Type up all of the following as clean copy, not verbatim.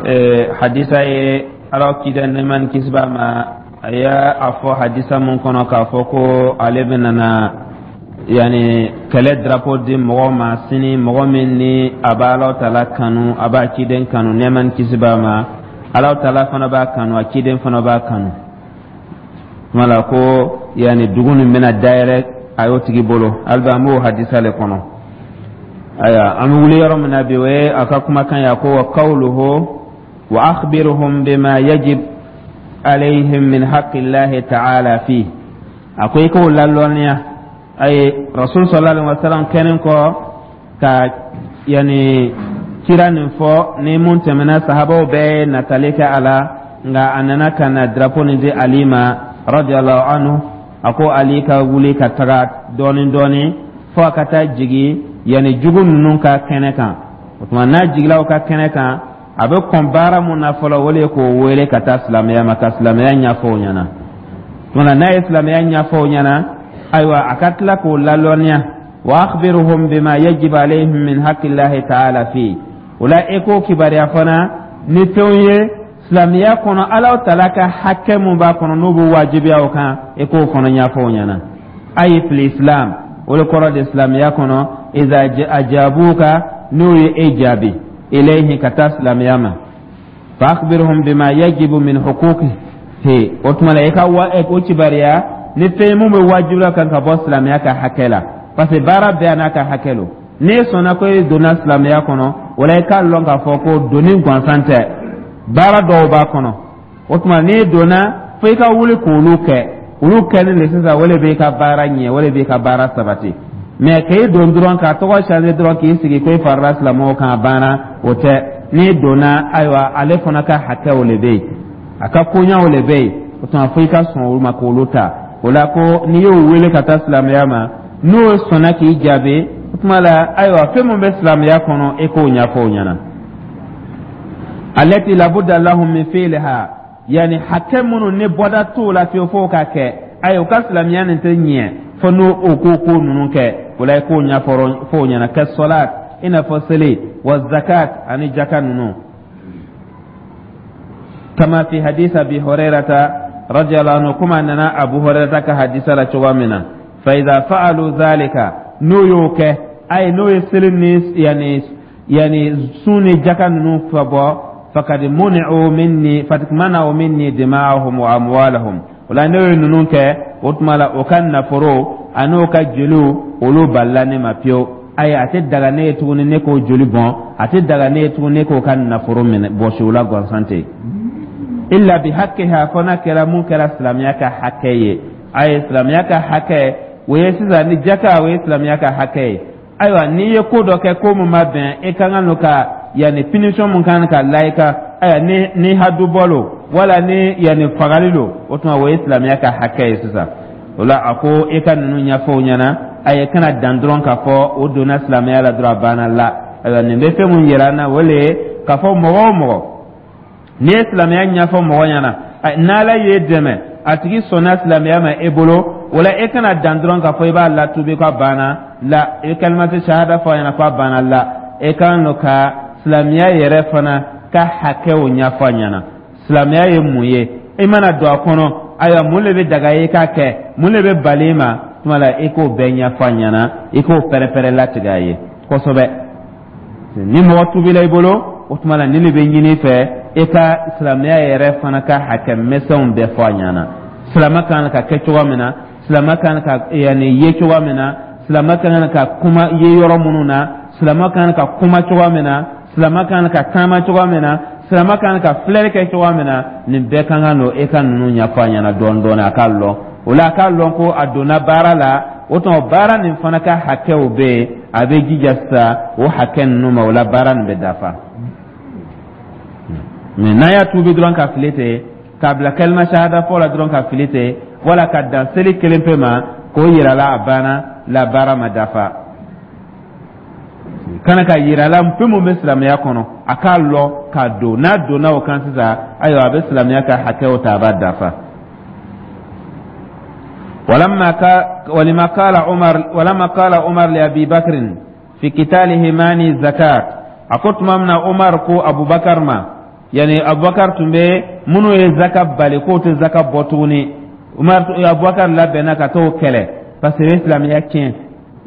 Hadisa ye Ala ciden, nɛɛma ni kisi b'a ma, a y'a a fɔ hadisa mun kɔnɔ k'a fɔ ko ale bɛna na yani kɛlɛ drapeau di mɔgɔ ma sini, mɔgɔ min ni a b'a Ala taala kanu, a b'a ciden kanu, nɛɛma ni kisi b'a ma, Ala taala fana b'a kanu, a ciden fana b'a kanu. Tuma la ko yani dugu nin bɛna dayɛlɛ a y'o tigi bolo. Hali an b'o hadisa le kɔnɔ. Ayiwa, an bɛ wuli yɔrɔ min na bi, o ye a ka kumakan ye. A ko: wa qawluhu wa akhbirhum bima yajib alayhim min haqqillahi ta'ala fi. A ko i k'o lalɔnniya a ye Rasul sallallahu alaihi wasallam kɛlen kɔ ka yani kira nin fɔ ni mun tɛmɛna, sahabaw bɛɛ natali kɛ a la, nka a nana ka na drapeau nin di Ali ma radiyallahu anhu. A ko Ali ka wuli ka taga dɔɔni dɔɔni fo a ka taa jigi yanni jugu ninnu ka kɛnɛ kan. O tuma, n'a jigila o ka kɛnɛ kan, a bɛ kɔn baara mun na fɔlɔ, o de ye k'o wele ka taa silamɛya ma, ka silamɛya ɲɛfɔ o ɲɛna. Tuma n'a ye silamɛya ɲɛfɔ o ɲɛna, ayiwa, a ka tila k'o lalɔnniya: wa akhbirhum bima yajib alayhim min haqqillahi ta'ala fi. O la, e k'o kibaruya fana ni fɛnw ye silamɛya kɔnɔ, Ala taala ka hakɛ mun b'a kɔnɔ, n'o bɛ wajibiya o kan, e k'o fana ɲɛfɔ o ɲɛna. Ayi fil islam, o de kɔrɔ de silamɛya kɔnɔ. Iza ajabuka, n'o ye e jaabi, ilayhi, ka taa silamɛya ma, fa akhbirhum bima yajibu min huquqihi. O tuma la, i ka wa o kibaruya ni fɛn mun bɛ wajibiya kan ka bɔ silamɛya ka hakɛ la, parce que baara bɛɛ n'a ka hakɛ lo. N'e sɔnna ko e donna silamɛya kɔnɔ, o la i k'a lɔn k'a fɔ ko donni gansan tɛ, baara dɔw b'a kɔnɔ. O tuma, n'e donna, fo i ka wuli k'olu kɛ. Olu kɛlen de sisan, o de b'i ka baara ɲɛ, o de b'i ka baara sabati. Mais k'e don dɔrɔn, k'a tɔgɔ changer dɔrɔn, k'i sigi ko e farala silamɛw kan, a banna, o tɛ. N'i donna, ayiwa, ale fana ka hakɛw le bɛ yen, a ka koɲaw le bɛ yen. O tuma, fo i ka sɔn olu ma k'olu ta. O la, ko n'i y'o wele ka taa silamɛya ma, n'o sɔnna k'i jaabi, o tuma la, ayiwa, fɛn min bɛ silamɛya kɔnɔ, e k'o ɲɛfɔ o ɲɛna. Allati labudda lahum min fi'liha, yani hakɛ minnu ni bɔda t'o la fiyewu f'o ka kɛ. Ayi, u ka silamɛya nin tɛ ɲɛ fo n'o o ko ninnu kɛ. O la, i k'o ɲɛfɔ f'o ɲɛna. Kɛ sɔlat, i n'a fɔ seli, wa zakat, ani jaka ninnu. Kama fi hadith Abi Hurairata radiyallahu anhu, kuma nana Abu Hurairata ka hadisa la cogoya min na. Fa idha fa'alu dhalika, n'o y'o kɛ, ayi, n'o ye seli ni yani sun ni jaka ninnu fa bɔ, fakad muni'u minni, fakad mana'u minni dima'ahum wa amwalahum. O la, n'o ye ninnu kɛ, o tuma la, o ka nafolo an'o ka joliw, olu balila ne ma pewu. Ayi, a tɛ daga ne ye tuguni ne k'o joli bɔn, a tɛ daga ne ye tuguni ne k'o ka nafolo minɛ bɔsi o la gansan ten, illa bi haqqiha, fo n'a kɛra mun kɛra silamɛya ka hakɛ ye. Ayi, silamɛya ka hakɛ, o ye sisan ni jaka, o ye silamɛya ka hakɛ ye. Ayiwa, n'i ye ko dɔ kɛ, ko mun ma bɛn, e ka kan ka yanni punition mun kan ka la i kan, ayiwa, ni hadu bɔ lo wala ni yanni fagali lo, o tuma, o ye silamɛya ka hakɛ ye sisan. O la, a ko e ka ninnu ɲɛfɔ o ɲɛna. Ayi, kana dan dɔrɔn k'a fɔ o donna silamɛya la dɔrɔn, a banna la. Ayiwa, nin bɛ fɛn mun yira an na, o le ye k'a fɔ mɔgɔ o mɔgɔ, n'i ye silamɛya ɲɛfɔ mɔgɔ ɲɛna, n'Ala y'e dɛmɛ, a tigi sɔnna silamɛya ma e bolo, o la e kana dan dɔrɔn k'a fɔ i b'a latubi k'a banna la, i bɛ kalimatu shahada fɔ a ɲɛna k'a banna la. E kan ka silamɛya yɛrɛ fana ka hakɛw ɲɛfɔ a ɲɛna. Silamɛya ye mun ye? I mana don a kɔnɔ, ayiwa, mun de bɛ daga i k'a kɛ, mun de bɛ bali i ma? Tuma la, i k'o bɛɛ ɲɛfɔ a ɲɛna, i k'o pɛrɛ-pɛrɛ latigɛ a ye kosɛbɛ. Ni mɔgɔ tubila i bolo, o tuma la, nin de bɛ ɲini i fɛ, i ka silamɛya yɛrɛ fana ka hakɛ misɛnw bɛɛ fɔ a ɲɛna: silamɛ kan ka kɛ cogoya min na, silamɛ kan ka yanni ye cogoya min na, silamɛ kan ka kuma ye yɔrɔ minnu na, silamɛ kan ka kuma cogoya min na, silamɛ kan ka taama cogoya min na, silamɛ kan ka filɛli kɛ cogoya min na. Nin bɛɛ kan ka don e ka ninnu ɲɛfɔ a ɲɛna dɔɔni dɔɔni, a k'a lɔn. O la, a k'a lɔn ko a donna baara la. O tuma, baara nin fana ka hakɛw bɛ yen, a bɛ jija sisan o hakɛ ninnu ma. O la, baara nin bɛ dafa. Mais n'a y'a tuubi dɔrɔn ka fili ten, k'a bila kalima shahada fɔ la dɔrɔn ka fili ten, wala ka dan seli kelen pe ma k'o yira la, a banna la, baara ma dafa. Kana ka yira la fɛn mun bɛ silamɛya kɔnɔ, a k'a lɔn k'a don. N'a donna o kan sisan, ayiwa, a bɛ silamɛya ka hakɛw ta, a b'a dafa. ولما قال عمر لأبي بكر في قتاله مانع الزكاة، a ko tuma min na Umar ko Abubakar ma Yani Abubakar tun bɛ minnu ye zaka bali k'o tɛ zaka bɔ tuguni, Umar, Abubakar labɛnna ka t'o kɛlɛ parce que o ye silamɛya tiɲɛ.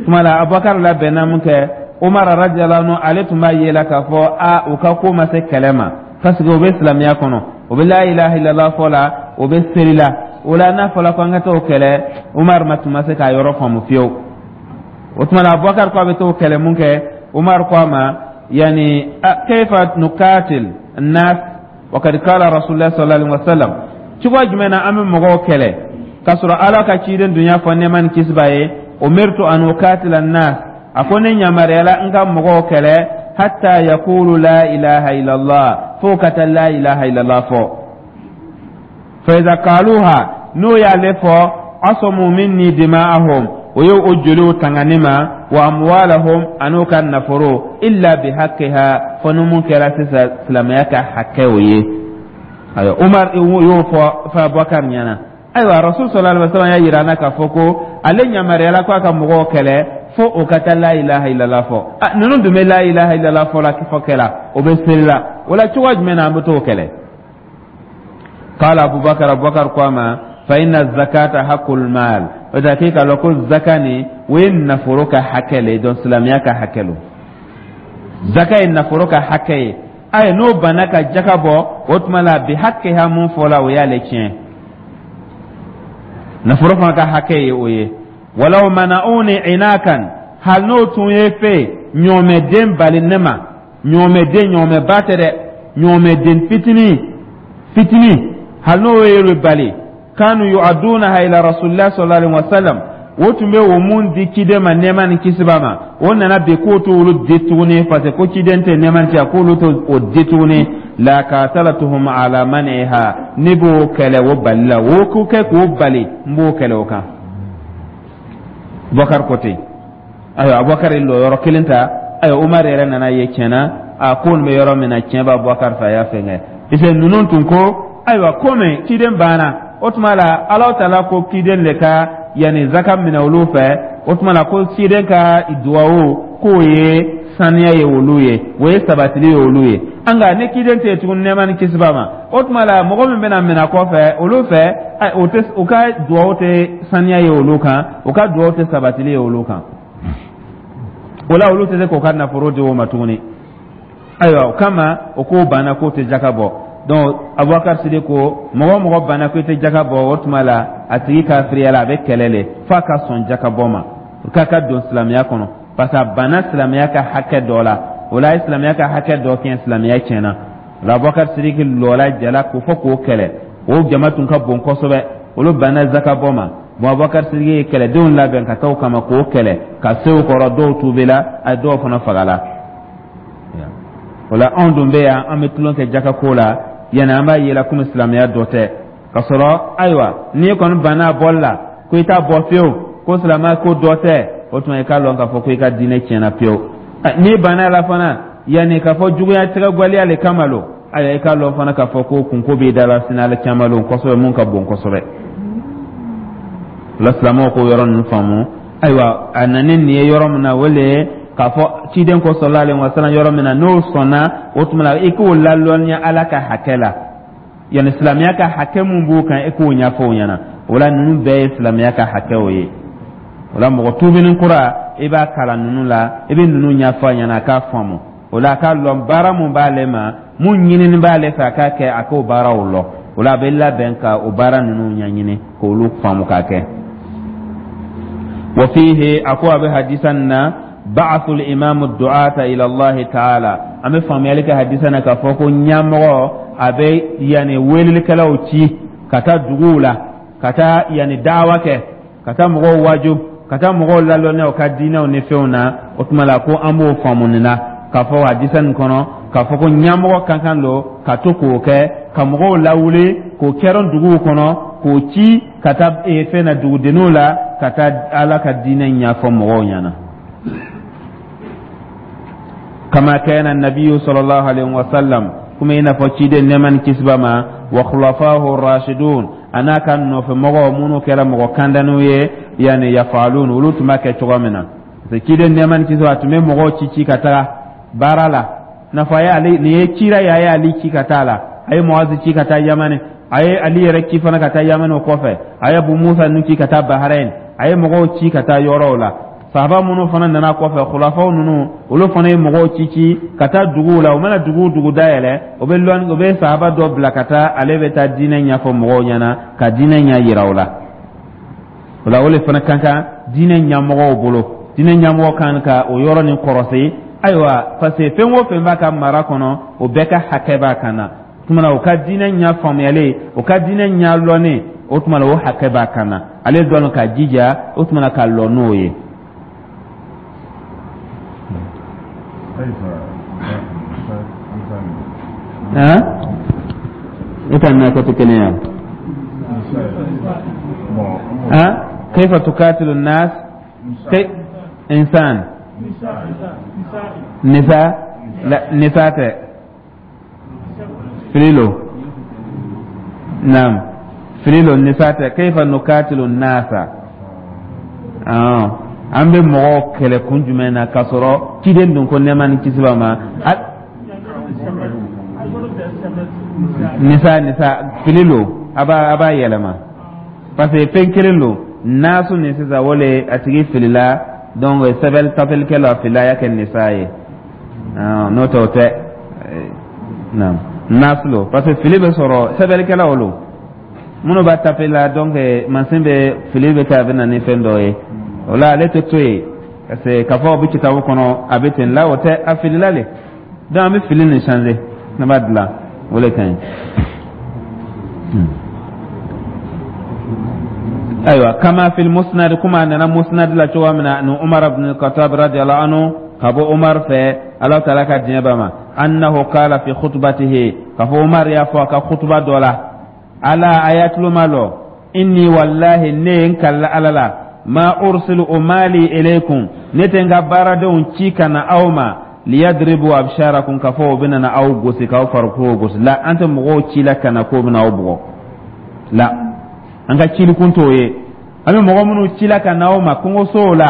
Tuma la Abubakar labɛnna mun kɛ, Umar radiyallahu anhu, ale tun b'a ye la k'a fɔ a u ka ko ma se kɛlɛ ma, parce que o bɛ silamɛya kɔnɔ, o bɛ la ilaha illallah fɔ la, o bɛ seli la. O la, n'a fɔra ko an ka t'o kɛlɛ, Umar ma tun ma se k'a yɔrɔ faamu fiyewu. O tuma la, Abubakar ko a bɛ t'o kɛlɛ mun kɛ, Umar ko a ma: yani kayfa nukatil nas wa kad qala rasulullah sallallahu alaihi wasallam? Cogoya jumɛn na an bɛ mɔgɔw kɛlɛ k'a sɔrɔ Ala ka ciden dun y'a fɔ, nɛɛma ni kisi b'a ye: umirtu an ukatila nas, a ko ne yamaruyala n ka mɔgɔw kɛlɛ hatta yaqulu la ilaha illallah, fo ka taa la ilaha illallah fɔ. Fa iza qaluha, n'o y'ale fɔ, asamu minni dima'ahum, o ye o joliw tanga ne ma, wa amwalahum, an'u ka nafolo, illa bihaqqiha, fo ni mun kɛra sisan silamɛya ka hakɛ o ye. Ayiwa, Umar y'o fɔ fa Abubakar ɲɛna. Ayiwa, Rasul sallallahu alaihi wasallam y'a yira an na k'a fɔ ko ale yamaruyala ko a ka mɔgɔw kɛlɛ fo o ka taa la ilaha illallah fɔ. A ninnu dun bɛ la ilaha illallah fɔ la, fɔ kɛla o bɛ seli la. O la, cogoya jumɛn na an bɛ t'o kɛlɛ? Qala Abubakar, Abubakar ko a ma: fa inna zakata haqqul mal. O da k'e k'a lɔn ko zaka nin, o ye nafolo ka hakɛ le ye. Donc silamɛya ka hakɛ lo, zaka ye nafolo ka hakɛ ye. Ayi, n'o banna ka jaka bɔ, o tuma la bi hakɛya mun fɔla, o y'ale tiɲɛ. Nafolo fana ka hakɛ ye o ye. Walaw mana'uni inakan, hali n'o tun ye fɛ ɲɔmɛden bali ne ma, ɲɔmɛden, ɲɔmɛba tɛ dɛ, ɲɔmɛden fitinin fitinin, hali n'o ye bali, kanu yu'addunaha ila rasulillah sallallahu alaihi wasallam, o tun bɛ o mun di ciden ma, nɛɛma ni kisi b'a ma, o nana bi k'o t'olu di tuguni, parce que ko ciden tɛ nɛɛma ni k'olu t'o di tuguni, la qatalatuhum ala maniha, ne b'o kɛlɛ o bali la, o ko kɛ k'o bali, n b'o kɛlɛ o kan. Abubakar ko ten. Ayiwa, Abubakar ye lɔ yɔrɔ kelen ta. Ayiwa, Umar yɛrɛ nana ye tiɲɛna a ko nin bɛ yɔrɔ min na, tiɲɛ bɛ Abubakar fɛ. A y'a fɛngɛ, parce que ninnu tun ko ayiwa, komi ciden banna, o tuma la Alahu Taala ko ciden de ka yanni zaka minɛ olu fɛ, o tuma la ko ciden ka duwawu k'o ye saniya ye olu ye, o ye sabatili ye olu ye. Nka ni ciden tɛ yen tuguni, nɛɛma ni kisi b'a ma, o tuma la mɔgɔ min bɛna minɛ kɔfɛ olu fɛ, o tɛ, u ka duwawu tɛ saniya ye olu kan, u ka duwawu tɛ sabatili ye olu kan. O la, olu tɛ se k'o ka nafolo di o ma tuguni. Ayiwa, o kama o k'o banna k'o tɛ jaka bɔ. Donc Abubakar Sidi ko mɔgɔ o mɔgɔ banna ko i tɛ jaka bɔ, o tuma la a tigi kafiriya la, a bɛ kɛlɛ le f'a ka sɔn jaka bɔ ma, k'a ka don silamɛya kɔnɔ, parce que a banna silamɛya ka hakɛ dɔ la. O la, a ye silamɛya ka hakɛ dɔ kɛ, silamɛya tiɲɛna. O la, Abubakar Sidiki lɔla jala k'o fɔ k'o kɛlɛ. O jama tun ka bon kosɛbɛ, olu banna zaka bɔ ma. Bon, Abubakar Sidiki ye kɛlɛdenw labɛn ka taa o kama k'o kɛlɛ ka se o kɔrɔ. Dɔw tubila, a dɔw fana fagala. O la, anw dun bɛ yan, an bɛ tulon kɛ jaka ko la, yanni an b'a yela komi silamɛya dɔ tɛ ka sɔrɔ. Ayiwa, n'i kɔni banna a bɔli la ko i t'a bɔ fiyewu, ko silamɛya ko dɔ tɛ, o tuma i k'a lɔn k'a fɔ ko i ka diinɛ tiɲɛna pewu. N'i banna a la fana, yanni k'a fɔ juguya tɛgɛgwaliya le kama lo, ayiwa, i k'a lɔn fana k'a fɔ ko kunko b'i da la sini Ala caman lon kosɛbɛ, mun ka bon kosɛbɛ. O la, silamɛw k'o yɔrɔ ninnu faamu. Ayiwa, a nana nin ye yɔrɔ min na, o le ye k'a fɔ ciden ko sallallahu alaihi wasallam yɔrɔ min na, n'o sɔnna, o tuma la i k'o lalɔnniya Ala ka hakɛ la, yanni silamɛya ka hakɛ mun b'o kan, i k'o ɲɛfɔ o ɲɛna. O la, ninnu bɛɛ ye silamɛya ka hakɛw ye. O la, mɔgɔ tubinin kura, i b'a kalan ninnu la, i bɛ ninnu ɲɛfɔ a ɲɛna a k'a faamu. O la, a k'a lɔn baara mun b'ale ma, mun ɲinini b'ale fɛ a k'a kɛ, a k'o baaraw lɔ. O la, a bɛ labɛn ka o baara ninnu ɲɛɲini k'olu faamu k'a kɛ. Wa fihi, a ko a bɛ hadisa nin na, ba'athul imamu du'ata ila Allah ta'ala. An bɛ faamuyali kɛ hadisa na k'a fɔ ko ɲɛmɔgɔ a bɛ yanni welelikɛlaw ci ka taa duguw la, ka taa yanni dawa kɛ, ka taa mɔgɔw waju, ka taa mɔgɔw lalɔnniya u ka diinɛw ni fɛnw na. O tuma la, ko an b'o faamu nin na k'a fɔ hadisa nin kɔnɔ k'a fɔ ko ɲɛmɔgɔ ka kan don ka to k'o kɛ, ka mɔgɔw lawuli k'o kɛrɛn duguw kɔnɔ, k'o ci ka taa fɛn na dugudenninw la, ka taa Ala ka diinɛ ɲɛfɔ mɔgɔw ɲɛna, kama kana nabiyu sallallahu alaihi wasallam, kuma i n'a fɔ ciden, nɛɛma ni kisi b'a ma, wa khulafahu rashidun, a n'a ka nɔfɛmɔgɔw minnu kɛra mɔgɔ kandaniw ye, yanni yafalun, olu tun b'a kɛ cogo min na. Parce que ciden, nɛɛma ni kisi b'a, tun bɛ mɔgɔw ci ci ka taga baara la. N'a fɔ a ye ale nin ye cira ye, a ye Ali ci ka taa la, a ye Muazi ci ka taa Yamani, a ye Ali yɛrɛ ci fana ka taa Yamani. O kɔfɛ, a ye Abu Musa ninnu ci ka taa Bahrain, a ye mɔgɔw ci ka taa yɔrɔw la. Sahaba minnu fana nana kɔfɛ, khulafaw ninnu, olu fana ye mɔgɔw ci ci ka taa duguw la. U mana dugu dugu dayɛlɛ, o bɛ lɔn, o bɛ sahaba dɔ bila ka taa, ale bɛ taa diinɛ ɲɛfɔ mɔgɔw ɲɛna, ka diinɛ ɲɛ yira u la. O la, o de fana ka kan diinɛ ɲɛmɔgɔw bolo. Diinɛ ɲɛmɔgɔ kan ka o yɔrɔ nin kɔrɔsi. Ayiwa, parce que fɛn o fɛn b'a ka mara kɔnɔ, o bɛɛ ka hakɛ b'a kan na. Tuma na, o ka diinɛ ɲɛ faamuyalen, o ka diinɛ ɲɛ lɔnnen, o tuma na, o hakɛ b'a kan na, ale dɔn ka jija o tuma na ka lɔ n'o ye. E ta n'a kɛ tɛ kelen ye. كيف تقاتل الناس كي إنسان نساء لا نساء فليلو نعم فليلو نساء كيف نقاتل الناس آه an bɛ mɔgɔw kɛlɛ kun jumɛn na k'a sɔrɔ ciden dun ko nɛɛma ni kisi b'a ma? Nisa nisa fili lo, a b'a yɛlɛma parce que fɛn kelen lo. Naasu nin sisan, o le a tigi filila. Donc sɛbɛn tapelikɛla filila, a y'a kɛ nisa ye. N'o tɛ, o tɛ naam naasu lo, parce que fili bɛ sɔrɔ sɛbɛnnikɛlaw lo minnu b'a tape la. Donc mansin bɛ fili bɛ kɛ, a bɛ na ni fɛn dɔ ye. O la, ale tɛ to yen parce que k'a fɔ o bɛ kitabu kɔnɔ, a bɛ ten la, o tɛ, a filila le. Donc an bɛ fili nin changer, ne b'a dilan, o le ka ɲi. Ayiwa, kama fil musnad, kuma nana musnad la cogoya min na, an Umar ibn Khattab radiyallahu anhu, ka bɔ Umar fɛ, Ala taala ka diɲɛ b'a ma, annahu qala fi khutbatihi, ka fɔ Umar y'a fɔ a ka khutuba dɔ la: ala a y'a tulo malɔ, inni wallahi, ne ye n kalila Ala la, ma ursilu umali ilaykum, ne tɛ n ka baaradenw ci ka na aw ma, liyadribu absharakum, ka fɔ o bɛna na aw gosi, k'aw farikolo gosi la. An tɛ mɔgɔw ci la ka na k'o bɛna aw bugɔ la, an ka cilikun t'o ye. An bɛ mɔgɔ minnu ci la ka na aw ma kungosow la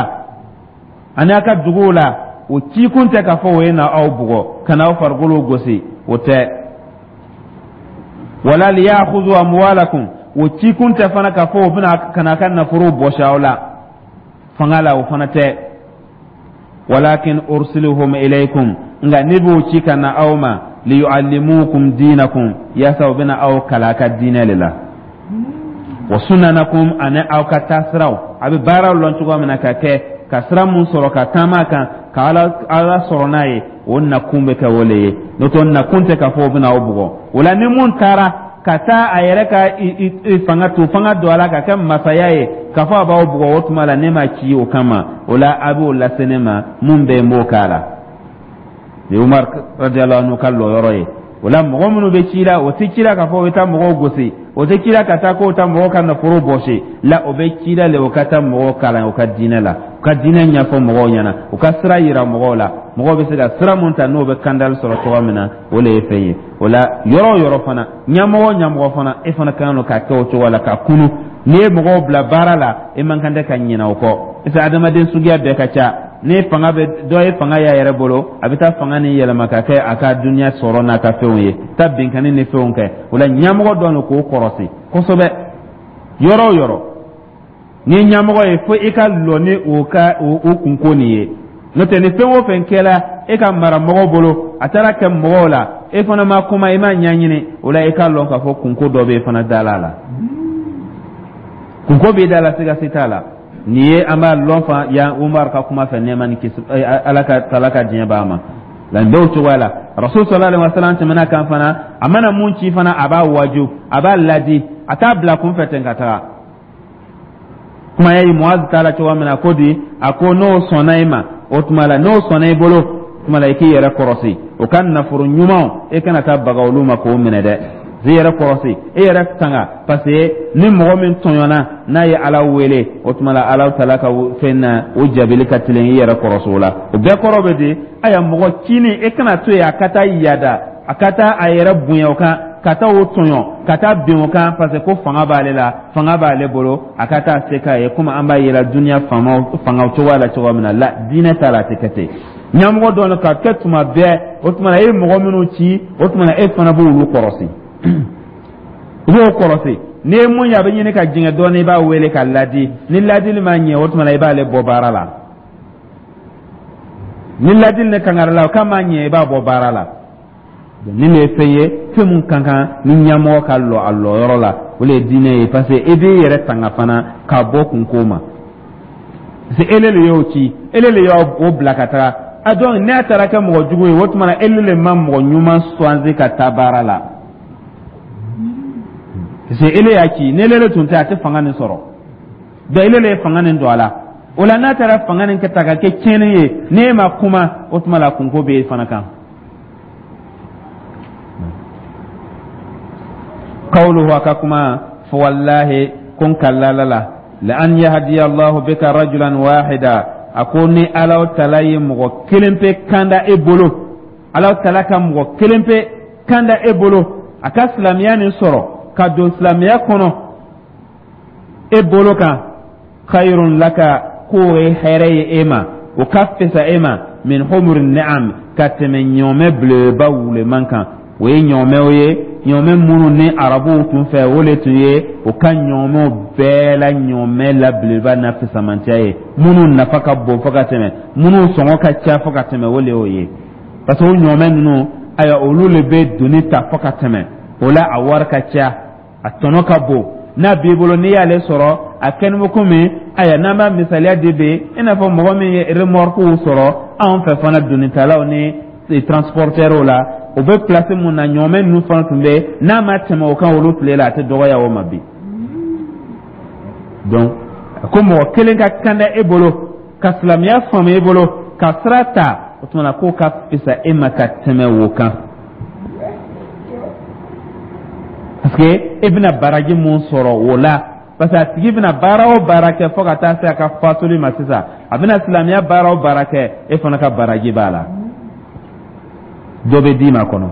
ani a ka duguw la, o cikun tɛ k'a fɔ o ye na aw bugɔ, ka na aw farikolo gosi, o tɛ. Wala liyakhudhu amwalakum, o cikun tɛ fana k'a fɔ o bɛna ka na a ka nafolo bɔsi aw la fanga la, o fana tɛ. Walakin ursiluhum ilaykum, nka ne b'o ci ka na aw ma, liyuallimukum dinakum, yaasa u bɛna aw kalan a ka diinɛ de la, wa sunanakum, ani aw ka taasiraw, a bɛ baaraw lɔn cogoya min na ka kɛ, ka sira mun sɔrɔ ka taama kan ka Ala sɔrɔ n'a ye. O nakun bɛ kɛ o le ye, n'o tɛ nakun tɛ k'a fɔ o bɛna aw bugɔ. O la, ni mun taara ka taa a yɛrɛ ka fanga to fanga don a la ka kɛ masaya ye, k'a fɔ a b'aw bugɔ, o tuma la ne ma ci o kama. O la, a b'o lase ne ma, mun bɛ yen, n b'o k'a la. Ni Umar radiyallahu anhu ka lɔyɔrɔ ye. O la, mɔgɔ minnu bɛ ci la, o tɛ ci la k'a fɔ o bɛ taa mɔgɔw gosi, o tɛ ci la ka taa k'o taa mɔgɔw ka nafolo bɔsi la. O bɛ ci la le, o ka taa mɔgɔw kalan u ka diinɛ la, u ka diinɛ ɲɛfɔ mɔgɔw ɲɛna, u ka sira yira mɔgɔw la, mɔgɔw bɛ se ka sira mun ta n'o bɛ kandali sɔrɔ cogoya min na. O le ye fɛn ye. O la, yɔrɔ o yɔrɔ fana, ɲɛmɔgɔ o ɲɛmɔgɔ fana, e fana ka kan ka kɛ o cogo la ka kunu. N'i ye mɔgɔw bila baara la, e man kan tɛ ka ɲinɛ o kɔ, parce que adamaden suguya bɛɛ ka ca. Ni fanga bɛ dɔ ye, fanga y'a yɛrɛ bolo, a bɛ taa fanga ni yɛlɛma ka kɛ a ka duniya sɔrɔ n'a ka fɛnw ye, taa binkanni ni fɛnw kɛ. O la, ɲɛmɔgɔ dɔ don k'o kɔrɔsi kosɛbɛ. Yɔrɔ o yɔrɔ n'i ye ɲɛmɔgɔ ye, fo i ka lɔ ni o ka o kunko nin ye. N'o tɛ, ni fɛn o fɛn kɛra e ka maramɔgɔw bolo, a taara kɛ mɔgɔw la, e fana ma kuma, i ma ɲɛɲini, o la i k'a lɔn k'a fɔ kunko dɔ bɛ e fana da la. Kunko b'i da la, siga si t'a la. Nin ye an b'a lɔn fa yan Umar ka kuma fɛ, nɛɛma ni kisi Ala ka tala ka diɲɛ b'a ma. Nka nin bɛɛ o cogoya la, Rasul sallallahu alaihi wasallam tɛmɛna kan fana, a mana mun ci fana, a b'a waju, a b'a ladi, a t'a bila kunfɛ ten ka taga. Kuma ye Muaz ta la cogoya min na, ko di a ko n'o sɔnna i ma, o tuma la n'o sɔnna i bolo, o tuma la i k'i yɛrɛ kɔrɔsi o ka nafolo ɲumanw, e kana taa baga olu ma k'o minɛ dɛ. I yɛrɛ kɔrɔsi, e yɛrɛ tanga, parce que ni mɔgɔ min tɔɲɔna, n'a ye Ala wele, o tuma la Ala taala ka fɛn na, o jaabili ka teli. I yɛrɛ kɔrɔsi o la. O bɛɛ kɔrɔ bɛ di? Aya, mɔgɔ cinin, e kana to yen a ka taa yada, a ka taa a yɛrɛ bonya o kan. Ka taa o tɔɲɔ, ka taa bin o kan, parce que ko fanga b'ale la, fanga b'ale bolo, a ka taa se k'a ye, komi an b'a yira duniya faamaw fangaw cogoya la cogoya min na. La, diinɛ t'a la, a tɛ kɛ ten. Ɲɛmɔgɔ dɔ ka kɛ tuma bɛɛ, o tuma na e ye mɔgɔ minnu ci, o tuma na e fana b'olu kɔrɔsi, i b'o kɔrɔsi. N'i ye mun ye a bɛ ɲini ka jɛngɛ dɔɔnin, i b'a wele ka ladi. Ni ladili ma ɲɛ, o tuma na i b'ale bɔ baara la. Ni ladili ni kangari la o k'a ma ɲɛ, i b'a bɔ baara la. Nin de ye fɛn ye, fɛn mun ka kan ni ɲɛmɔgɔ ka lɔ a lɔyɔrɔ la, o de ye diinɛ ye, parce que e b'i yɛrɛ tanga fana ka bɔ kunko ma, parce que ele le y'o ci, ele le y'o bila ka taga a. Donc n'a taara kɛ mɔgɔ jugu ye, o tuma na ele le ma mɔgɔ ɲuman choisi ka taa baara la, parce que ele y'a ci. Ni ele le tun tɛ, a tɛ fanga nin sɔrɔ. Donc ele le ye fanga nin don a la. O la, n'a taara fanga nin kɛ ta ka kɛ tiɲɛni ye, n'e ma kuma, o tuma la kunko bɛ e fana kan. Qawluhu, a ka kuma fo: wallahi, ko n kalila Ala la, la an yahdiya Allahu bika rajulan wahida, a ko ni Ala tala ye mɔgɔ kelen pe kanda e bolo, Ala tala ka mɔgɔ kelen pe kanda e bolo, a ka silamɛya nin sɔrɔ ka don silamɛya kɔnɔ e bolo kan, khayrun laka, k'o ye hɛrɛ ye e ma, o ka fisa e ma, min humuri ni'am, ka tɛmɛ ɲɔmɛ belebeleba wuleman kan. O ye ɲɔmɛw ye, ɲɔmɛ minnu ni arabuw tun fɛ, o le tun ye o ka ɲɔmɛw bɛɛ la ɲɔmɛ la belebeleba n'a fisamantiya ye, minnu nafa ka bon fo ka tɛmɛ, minnu sɔngɔ ka ca fo ka tɛmɛ, o le y'o ye. Parce que o ɲɔmɛ ninnu, ayiwa, olu le bɛ doni ta fo ka tɛmɛ. O la, a wari ka ca, a tɔnɔ ka bon. N'a b'i bolo, n'i y'ale sɔrɔ, a kɛni bɛ komi, ayiwa, n'an b'a misaliya di bi, i n'a fɔ mɔgɔ min ye remorque sɔrɔ anw fɛ fana, donitalaw ni transporteurs la, o bɛ place mun na, ɲɔmɛ ninnu fana tun bɛ, n'a ma tɛmɛ o kan olu tile la, a tɛ dɔgɔya o ma bi. Donc ko mɔgɔ kelen ka kanda e bolo, ka silamɛya faamu e bolo, ka sira ta, o tuma na k'o ka fisa e ma ka tɛmɛ o kan, parce que e bɛna baraji mun sɔrɔ o la, parce que a tigi bɛna baara o baara kɛ fo ka taa se a ka fatuli ma sisan, a bɛna silamɛya baara o baara kɛ, e fana ka baraji b'a la, dɔ bɛ d'i ma kɔnɔ.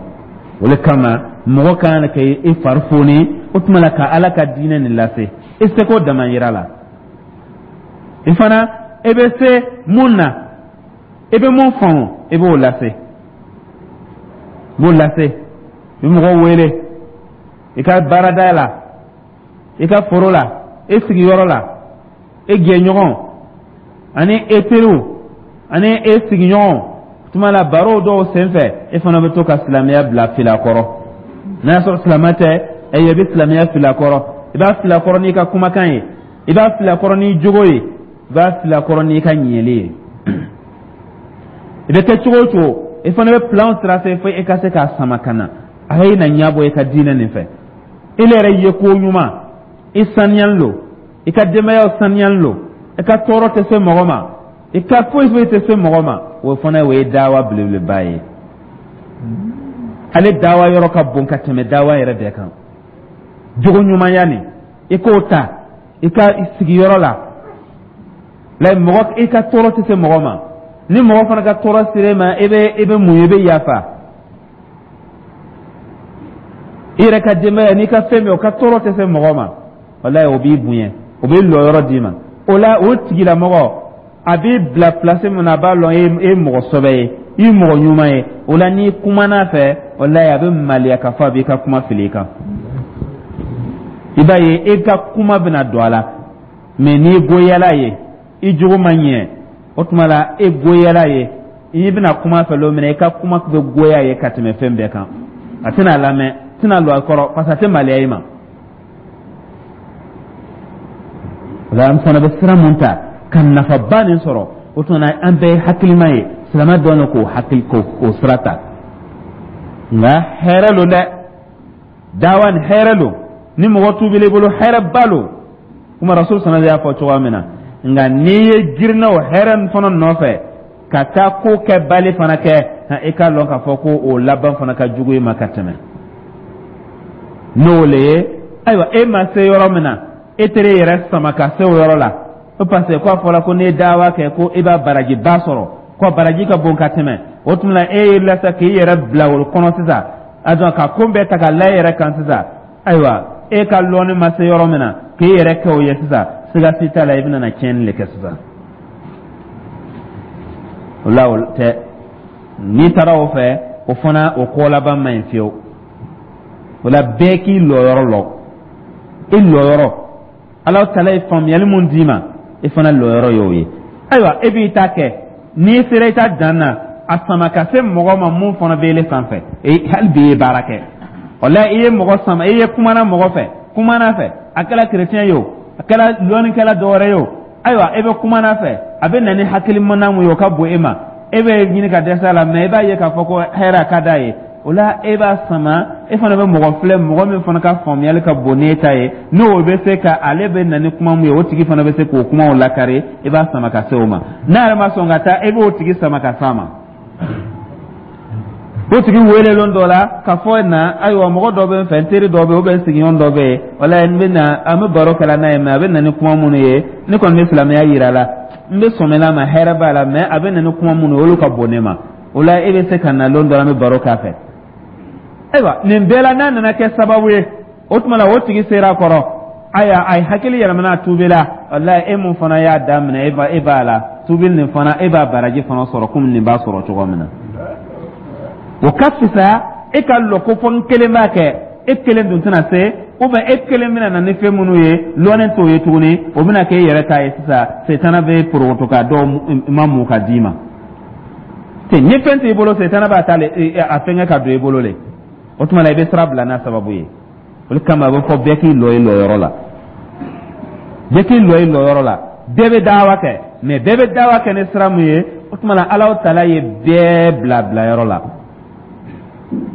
O de kama mɔgɔ ka kan ka i fari foni, o tuma la ka Ala ka diinɛ nin lase i seko damayira la. I fana, e bɛ se mun na, i bɛ mun faamu, i b'o lase, i b'o lase. I bɛ mɔgɔw wele i ka baarada la, i ka foro la, i sigiyɔrɔ la, e jɛɲɔgɔn ani e teriw ani e sigiɲɔgɔn. Tuma la, baro dɔw senfɛ, e fana bɛ to ka silamɛya bila fili a kɔrɔ. N'a y'a sɔrɔ silamɛ tɛ, i bɛ silamɛya fili a kɔrɔ. I b'a fili a kɔrɔ n'i ka kumakan ye, i b'a fili a kɔrɔ n'i jogo ye, i b'a fili a kɔrɔ n'i ka ɲɛli ye. I bɛ kɛ cogo o cogo, i fana bɛ plan tracer fo e ka se k'a sama ka na, a ye na ɲɛbɔ i ka diinɛ nin fɛ. I yɛrɛ ye ko ɲuman, i saniyalen don, i ka denbayaw saniyalen don, i ka tɔɔrɔ tɛ se mɔgɔ ma, i ka foyi foyi tɛ se mɔgɔ ma, o fana o ye dawa belebeleba ye. Ale dawa yɔrɔ ka bon ka tɛmɛ dawa yɛrɛ bɛɛ kan. Jogo ɲumanya nin, i k'o ta i ka sigiyɔrɔ la, la mɔgɔ i ka tɔɔrɔ tɛ se mɔgɔ ma. Ni mɔgɔ fana ka tɔɔrɔ sera e ma, i bɛ mun ye? I bɛ yafa. I yɛrɛ ka denbaya n'i ka fɛn bɛɛ, o ka tɔɔrɔ tɛ se mɔgɔ ma, walayi, o b'i bonya, o b'i lɔyɔrɔ d'i ma. O la, o tigilamɔgɔ a b'i bila place min na, a b'a lɔn e ye mɔgɔ sɔbɛ ye, i ye mɔgɔ ɲuman ye. O la, n'i kumana a fɛ, walayi, a bɛ maloya k'a fɔ a b'i ka kuma fili i kan. I b'a ye e ka kuma bɛna don a la. Mais n'i goyala ye, i jogo ma ɲɛ, o tuma la e goyala ye, i bɛna kuma fɛ don min na, i ka kuma bɛ goya ye ka tɛmɛ fɛn bɛɛ kan. A tɛna lamɛn, tɛna lɔ a kɔrɔ, parce que a tɛ maloya i ma. O la, an fana bɛ sira mun ta ka nafaba nin sɔrɔ, o tuma na an bɛɛ ye hakilima ye, silamɛ dɔn k'o hakili k'o sira ta. Nka hɛrɛ lo dɛ, dawa nin hɛrɛ lo. Ni mɔgɔ tuubila i bolo, hɛrɛba lo, kuma Rasul sana y'a fɔ cogoya min na. Nka n'i ye girinna o hɛrɛ nin fana nɔfɛ ka taa ko kɛbali fana kɛ, i k'a lɔn k'a fɔ ko o laban fana ka jugu i ma ka tɛmɛ n'o le ye. Ayiwa, e ma se yɔrɔ min na, e teri yɛrɛ sama ka se o yɔrɔ la, o parce que k'a fɔra ko n'i ye dawa kɛ, ko i b'a barajiba sɔrɔ, ko baraji ka bon ka tɛmɛ. O tuma la, e y'i lasa k'i yɛrɛ bila o kɔnɔ sisan. A dɔn ka ko bɛɛ ta ka la e yɛrɛ kan sisan. Ayiwa, e ka lɔnni ma se yɔrɔ min na k'e yɛrɛ kɛ o ye sisan, siga si t'a la, i bɛna na tiɲɛni de kɛ sisan. O la, o tɛ n'i taara o fɛ, o fana o ko laban man ɲi fiyewu. O la, bɛɛ k'i lɔyɔrɔ lɔn, i lɔyɔrɔ. Ala tala ye faamuyali mun d'i ma, i fana lɔyɔrɔ y'o ye. Ayiwa, e b'i ta kɛ, n'i sera i ta dan na, a sama ka se mɔgɔ ma mun fana bɛ ele sanfɛ. Hali bi i ye baara kɛ o la, i ye mɔgɔ sama, i ye kumana mɔgɔ fɛ, kumana fɛ, a kɛra kerecɛn ye o, a kɛra lɔnnikɛla dɔ wɛrɛ ye o, ayiwa, e bɛ kumana fɛ, a bɛ na ni hakilimana mun ye, o ka bon e ma, e bɛ ɲini ka dɛsɛ a la, mɛ i b'a ye k'a fɔ ko hɛrɛ ka d'a ye. O la, e b'a sama, e fana bɛ mɔgɔ filɛ, mɔgɔ min fana ka faamuyali ka bon n'e ta ye, n'o bɛ se ka ale bɛ na ni kuma mun ye, o tigi fana bɛ se k'o kumaw lakari, i b'a sama ka se o ma. N'a yɛrɛ ma sɔn ka taa, e b'o tigi sama ka s'a ma. O tigi wele lon dɔ la ka fɔ na, ayiwa, mɔgɔ dɔ bɛ n fɛ, n teri dɔ bɛ yen, ou bien n sigiɲɔgɔn dɔ bɛ yen, wala n bɛ na, an bɛ baro kɛla n'a ye, mɛ a bɛ na ni kuma minnu ye, ne kɔni bɛ silamɛya yira la, n bɛ sɔmina ma, hɛrɛ b'a la, mɛ a bɛ na ni kuma minnu ye, olu ka bon ne ma. O la, e bɛ se ka na lon dɔ la, an bɛ baro k'a fɛ. Ayiwa, nin bɛɛ la, n'a nana kɛ sababu ye, o tuma la o tigi sera a kɔrɔ, ayiwa, a ye hakili yɛlɛmana, a tuubila. Walayi, e mun fana y'a daminɛ, e b'a la tuubili nin fana, e b'a baraji fana sɔrɔ komi nin b'a sɔrɔ cogo min na. O ka fisa e ka lɔ ko fɔ n kelen b'a kɛ. E kelen dun tɛna se, ou bien e kelen bɛna na ni fɛn minnu ye, lɔnnen t'o ye tuguni, o bɛna kɛ e yɛrɛ ta ye sisan. Setana bɛ porokoto ka dɔw ma mun ka d'i ma ten. Ni fɛn t'i bolo, setana b'a ta a fɛngɛ ka don i bolo le. O tuma la, i bɛ sira bila n'a sababu ye. O de kama a bɛ fɔ bɛɛ k'i lɔ i lɔyɔrɔ la, bɛɛ k'i lɔ i lɔyɔrɔ la. Bɛɛ bɛ dawa kɛ, mɛ bɛɛ bɛ dawa kɛ ni sira mun ye, o tuma la Alahu taala ye bɛɛ bila bilayɔrɔ la.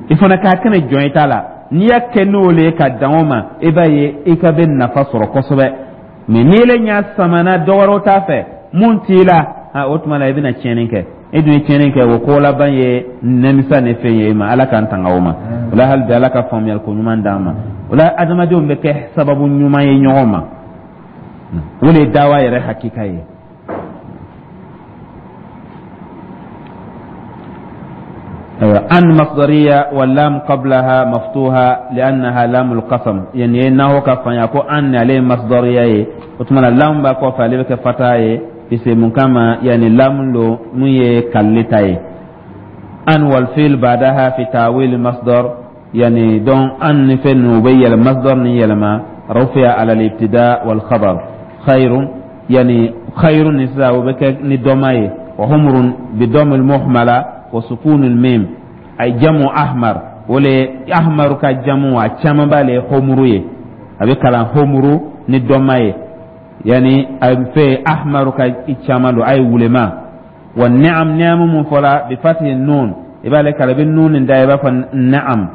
I fana k'a kɛnɛ jɔn i ta la. N'i y'a kɛ n'o le ye ka dan o ma, i b'a ye i ka bɛ nafa sɔrɔ kosɛbɛ. Mɛ n'i le ɲa samana dɔ wɛrɛw t'a fɛ mun t'i la, o tuma la i bɛna tiɲɛni kɛ. E dun ye tiɲɛni kɛ, o ko laban ye nimisa ni fɛn ye e ma. Ala k'an tanga o ma. O la, hali bi, Ala ka faamuyali ko ɲuman d'an ma. O la, adamadenw bɛ kɛ sababu ɲuman ye ɲɔgɔn ma. O de ye dawa yɛrɛ hakika ye. أن مصدرية واللام قبلها مفتوحة لأنها لام القسم. يعني نهو كفن يكو أن عليه مصدرية، وتمنى لام باكو فالي فتاة في كما يعني لام لو مي كالتاي أن والفيل بعدها في تاويل المصدر. يعني دون أن في نوبي المصدر نيلما رفع على الابتداء والخبر خير، يعني خير نساء وبك ندماي وهمر بدم المهملة وسكون الميم، أي جمع أحمر. ولا أحمر كجمع كما بالي همروي أبي كلام همرو ندماي، يعني في أحمر كجمع أي ولما. والنعم نعم مفلا بفتح النون، يبقى لك على بالنون ده يبقى النعم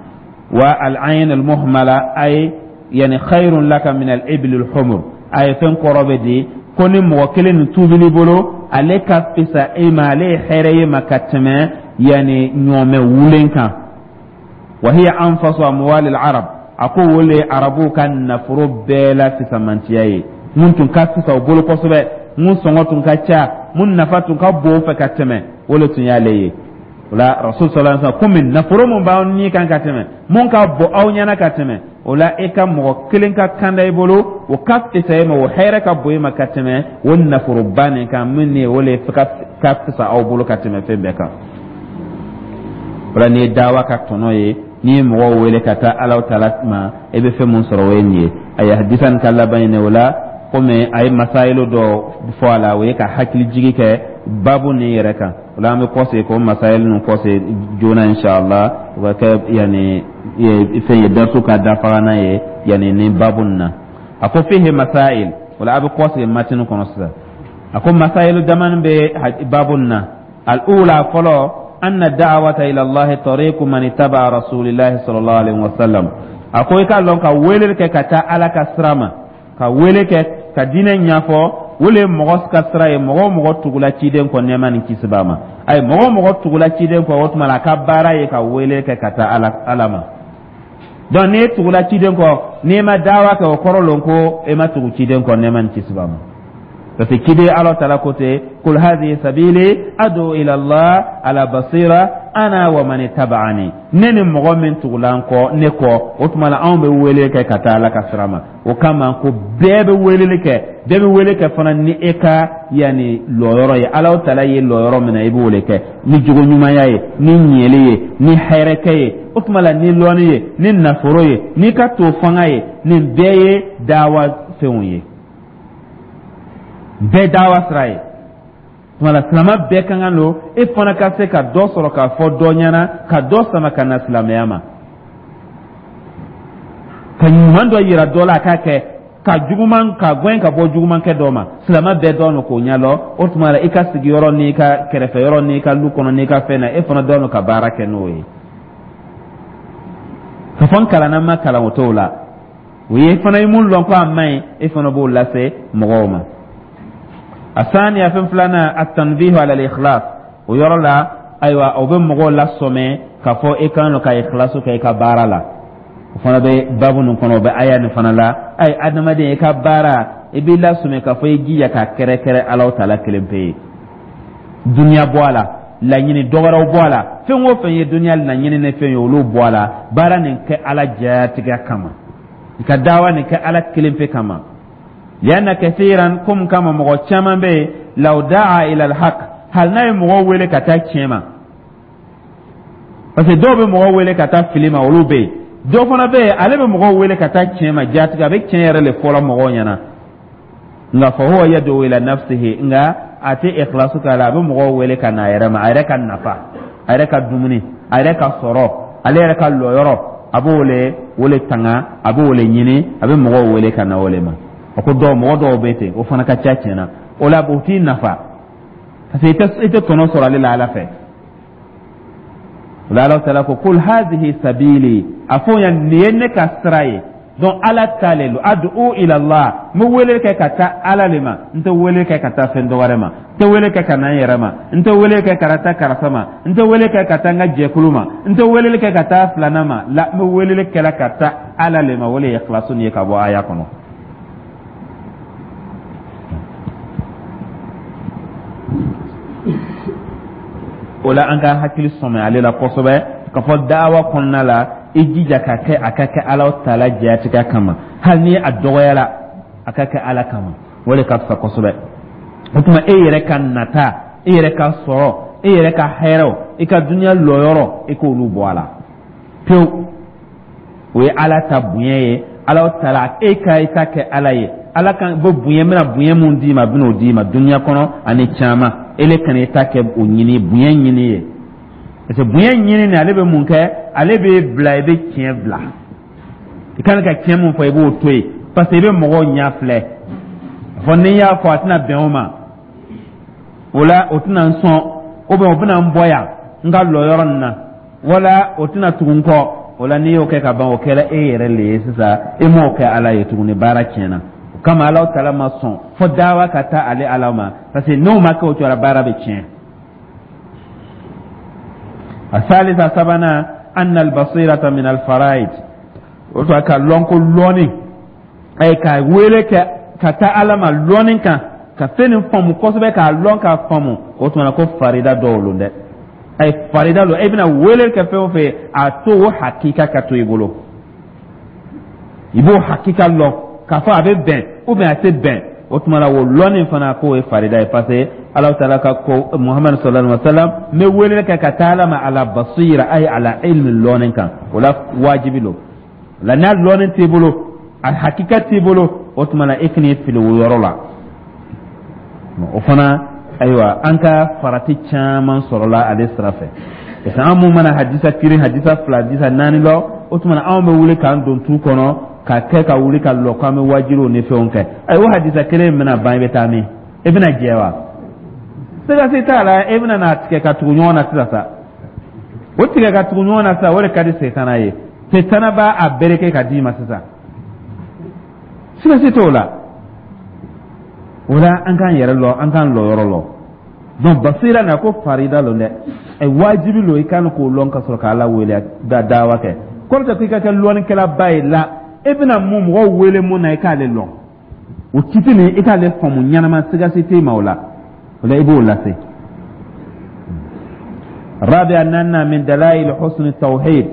والعين المهملة، أي يعني خير لك من الإبل الحمر، أي فين قرب دي كوني موكلين توبلي بولو عليك فيسا إما عليه خيري ما كتمه، يعني نوم ولينكا. وهي أنفس أموال العرب. أقول لي عربو كان نفرو بلا في سمانتياي من تنكاسي وبولو قصبة من سنغتون كاتشا من نفاتون كبو فكتمه ولا تنيالي ولا رسول صلى الله عليه وسلم كم نفرو من باوني كان كتمه من كبو أو نيانا كتمه ولا إيكا موكلين كان يبولو وكاف تسايم وحيرة كبوي ما كتمه والنفرو باني كان مني ولا كاف أو بولو كتمه في بكا. Wala ni dawa ka tɔnɔ ye, n'i ye mɔgɔw wele ka taa Alahu taala ma, e bɛ fɛn mun sɔrɔ, o ye nin ye. A ye hadisa nin ka laban ye o la, komi a ye masayilu dɔ fɔ a la, o ye ka hakili jigi kɛ baabu nin yɛrɛ kan. O la, an bɛ kɔsegin k'o masayilu ninnu kɔsegin joona inshallah. O ka kɛ yanni fɛn ye darisu ka dafagana ye yanni ni baabu nin na. A ko fihi masail. O la, a bɛ kɔsegin matini kɔnɔ sisan. A ko masayilu damani bɛ baabu nin na. Al-ula fɔlɔ, أن الدعوة إلى الله طريق من اتبع رسول الله صلى الله عليه وسلم. أقول لك كويلك كتا على كسرما كويلك كدين يافو ولا مغص كسرة مغو مغو تقولا تيدين كونيما نكسباما أي مغو مغو تقولا تيدين كوت ملا كبارا يكويلك كتا على علما دون ني تقولا تيدين كو نيما دعوة كوكورلونكو إما تقول تيدين كونيما نكسباما. Parce que kide Allah ta'ala côté kul hadhihi sabili adu ila Allah ala basira Ana wa man taba'ani, ne ni mɔgɔ min tugula n kɔ, ne kɔ, o tuma la anw bɛ wele kɛ ka taa Ala ka sira ma. O kama ko bɛɛ bɛ weleli kɛ, bɛɛ bɛ wele kɛ fana ni e ka yanni lɔyɔrɔ ye. Ala taala ye lɔyɔrɔ min na, i b'o de kɛ ni jogo ɲumanya ye, ni ɲɛli ye, ni hɛrɛkɛ ye, o tuma la ni lɔnni ye, ni nafolo ye, n'i ka to fanga ye. Nin bɛɛ ye dawa fɛnw ye, bɛɛ dawa sira ye. Tuma la silamɛ bɛɛ ka kan don, e fana ka se ka dɔ sɔrɔ k'a fɔ dɔ ɲɛna, ka dɔ sama ka na silamɛya ma, ka ɲuman dɔ yira dɔ la a k'a kɛ, ka juguman ka gɛn ka bɔ jugumankɛ dɔ ma. Silamɛ bɛɛ dɔn don k'o ɲɛdɔn. O tuma la i ka sigiyɔrɔ n'i ka kɛrɛfɛyɔrɔ n'i ka lu kɔnɔ n'i ka fɛn na, e fana dɔn don ka baara kɛ n'o ye. Ka fɔ n kalanna, n ma kalan, o t'o la. O ye fana ye mun lɔn ko a man ɲi, e fana b'o lase mɔgɔw ma. Asaniya, fɛn filanan, atanbihu ala al-ikhlas. O yɔrɔ la, ayiwa, o bɛ mɔgɔw lasɔmɛ k'a fɔ e kan ka ikhlasu kɛ i ka baara la. O fana bɛ babu nin kɔnɔ, o bɛ aya nin fana la. Ayi, adamaden, i ka baara, i b'i lasɔmɛ k'a fɔ i jija k'a kɛrɛkɛrɛ Alahu taala kelen pe ye. Duniya bɔ a la, laɲini dɔwɛrɛw bɔ a la, fɛn o fɛn ye duniya laɲini ni fɛn ye, olu bɔ a la. Baara nin kɛ Ala jatigɛ kama, i ka dawa nin kɛ Ala kelen pe kama. Lianna kathiran, komi kama mɔgɔ caman bɛ yen, law daa ila alhaq, hali n'a ye mɔgɔw wele ka taa tiɲɛ ma, parce que dɔw bɛ mɔgɔw wele ka taa fili ma, olu bɛ yen. Dɔw fana bɛ yen, ale bɛ mɔgɔw wele ka taa tiɲɛ ma jatigɛ, a bɛ tiɲɛ yɛrɛ de fɔlɔ mɔgɔw ɲɛna, nka fa huwa yad'u ila nafsihi, nka a tɛ ikhlasu k'a la. A bɛ mɔgɔw wele ka na a yɛrɛ ma, a yɛrɛ ka nafa, a yɛrɛ ka dumuni, a yɛrɛ ka sɔrɔ, ale yɛrɛ ka lɔyɔrɔ, a b'o le o le tanga, a b'o le ɲini, a bɛ mɔgɔw wele ka na o le ma. A ko dɔw, mɔgɔ dɔw bɛ ten, o fana ka ca tiɲɛ na. O la o t'i nafa, parce que i tɛ tɔnɔ sɔrɔ ale la Ala fɛ. O la Ala taala ko: qul hazihi sabili, a fɔ yan, nin ye ne ka sira ye. Donc Ala ta le lo, ad'u ila Allah, n bɛ wele kɛ ka taa Ala le ma, n tɛ wele kɛ ka taa fɛn dɔ wɛrɛ ma, n tɛ wele kɛ ka na n yɛrɛ ma, n tɛ wele kɛ ka taa karisa ma, n tɛ wele kɛ ka taa n ka jɛkulu ma, n tɛ wele kɛ ka taa filanan ma la, n bɛ wele kɛla ka taa Ala le ma. O le ye ikhlasu nin ye ka bɔ aya kɔnɔ. O la an ka hakili sɔmɛ ale la kosɛbɛ k'a fɔ dawa kɔnɔna la, i jija ka kɛ, a ka kɛ Ala taala jatigɛ kama. Hali ni a dɔgɔyara, a ka kɛ Ala kama, o de ka fisa kosɛbɛ. O tuma e yɛrɛ ka nata, e yɛrɛ ka sɔrɔ, e yɛrɛ ka hɛrɛw, i ka duniya lɔyɔrɔ, i k'olu bɔ a la pewu. O ye Ala ta bonya ye. Ala taala, e ka i ta kɛ Ala ye, Ala kan bɛ bonya, bɛna bonya mun d'i ma, a bɛn'o d'i ma duniya kɔnɔ ani caman. Ele kana i ta kɛ o ɲini, bonya ɲini ye, parce que bonya ɲini nin, ale bɛ mun kɛ? Ale bɛ bila, i bɛ tiɲɛ bila. I kan ka tiɲɛ mun fɔ, i b'o to yen, parce que i bɛ mɔgɔw ɲɛ filɛ fɔ ni n y'a fɔ, a tɛna bɛn o ma, o la o tɛna n sɔn, ou bien o bɛna n bɔ yan n ka lɔyɔrɔ nin na, wala o tɛna tugu n kɔ. O la n'i y'o kɛ ka ban, o kɛra e yɛrɛ le ye sisan, e m'o kɛ Ala ye tuguni, baara tiɲɛna. O kama Ala taala ma sɔn fo dawa ka taa ale Ala ma, parce que n'o ma kɛ o cogo la, baara bɛ tiɲɛ. Asalisa, sabanan, anna albasirata min alfaraid. O tuma ka lɔn ko lɔnni, ayi, ka wele kɛ ka taa Ala ma lɔnni kan, ka fɛn nin faamu kosɛbɛ, k'a lɔn k'a faamu, o tuma ko farida dɔw lon dɛ. Ayi, farida don. E bɛna wele kɛ fɛn o fɛn ye, a to o hakika ka to i bolo, i b'o hakika lɔn k'a fɔ a bɛ bɛn ou bien a tɛ bɛn. O tuma la o lɔnni fana, k'o ye farida ye, parce que Ala taala ka ko Muhamadu sallallahu alaihi wa sallam, n bɛ wele kɛ ka taa Ala ma ala basira, ayi, ala ilmi, lɔnni kan. O la wajibi don. La n'a lɔnni t'i bolo, a hakika t'i bolo, o tuma la e kan'i fili o yɔrɔ la. O fana, ayiwa, an ka farati caman sɔrɔla ale sira fɛ, parce que an mun mana hadisa kiri, hadisa fila, hadisa naani lɔ, o tuma na anw bɛ wuli k'an don tu kɔnɔ ka kɛ ka wuli ka lɔ k'an bɛ wajibiw ni fɛnw kɛ. Ayi, o hadisa kelen in bɛna ban, i bɛ taa min? E bɛna jɛ wa? Siga si t'a la, e bɛna n'a tigɛ ka tugu ɲɔgɔn na sisan sa. O tigɛ ka tugu ɲɔgɔn na sisan, o de ka di setana ye. Setana b'a a bereke ka d'i ma sisan, siga si t'o la. O la an k'an yɛrɛ lɔ, an k'an lɔyɔrɔ lɔ. Donc basira na ko farida lon dɛ, ɛ, wajibi lo, i kan k'o lɔn ka sɔrɔ k'Ala wele da dawa kɛ. Kɔrɔ tɛ k'i ka kɛ lɔnnikɛlaba ye la. E bɛna mun mɔgɔw wele mun na, i k'ale lɔn o kiti nin, i k'ale faamu ɲɛnama, siga si t'i ma o la. O la i b'o lase. Rabia naaninan, min dalail husni tawhid,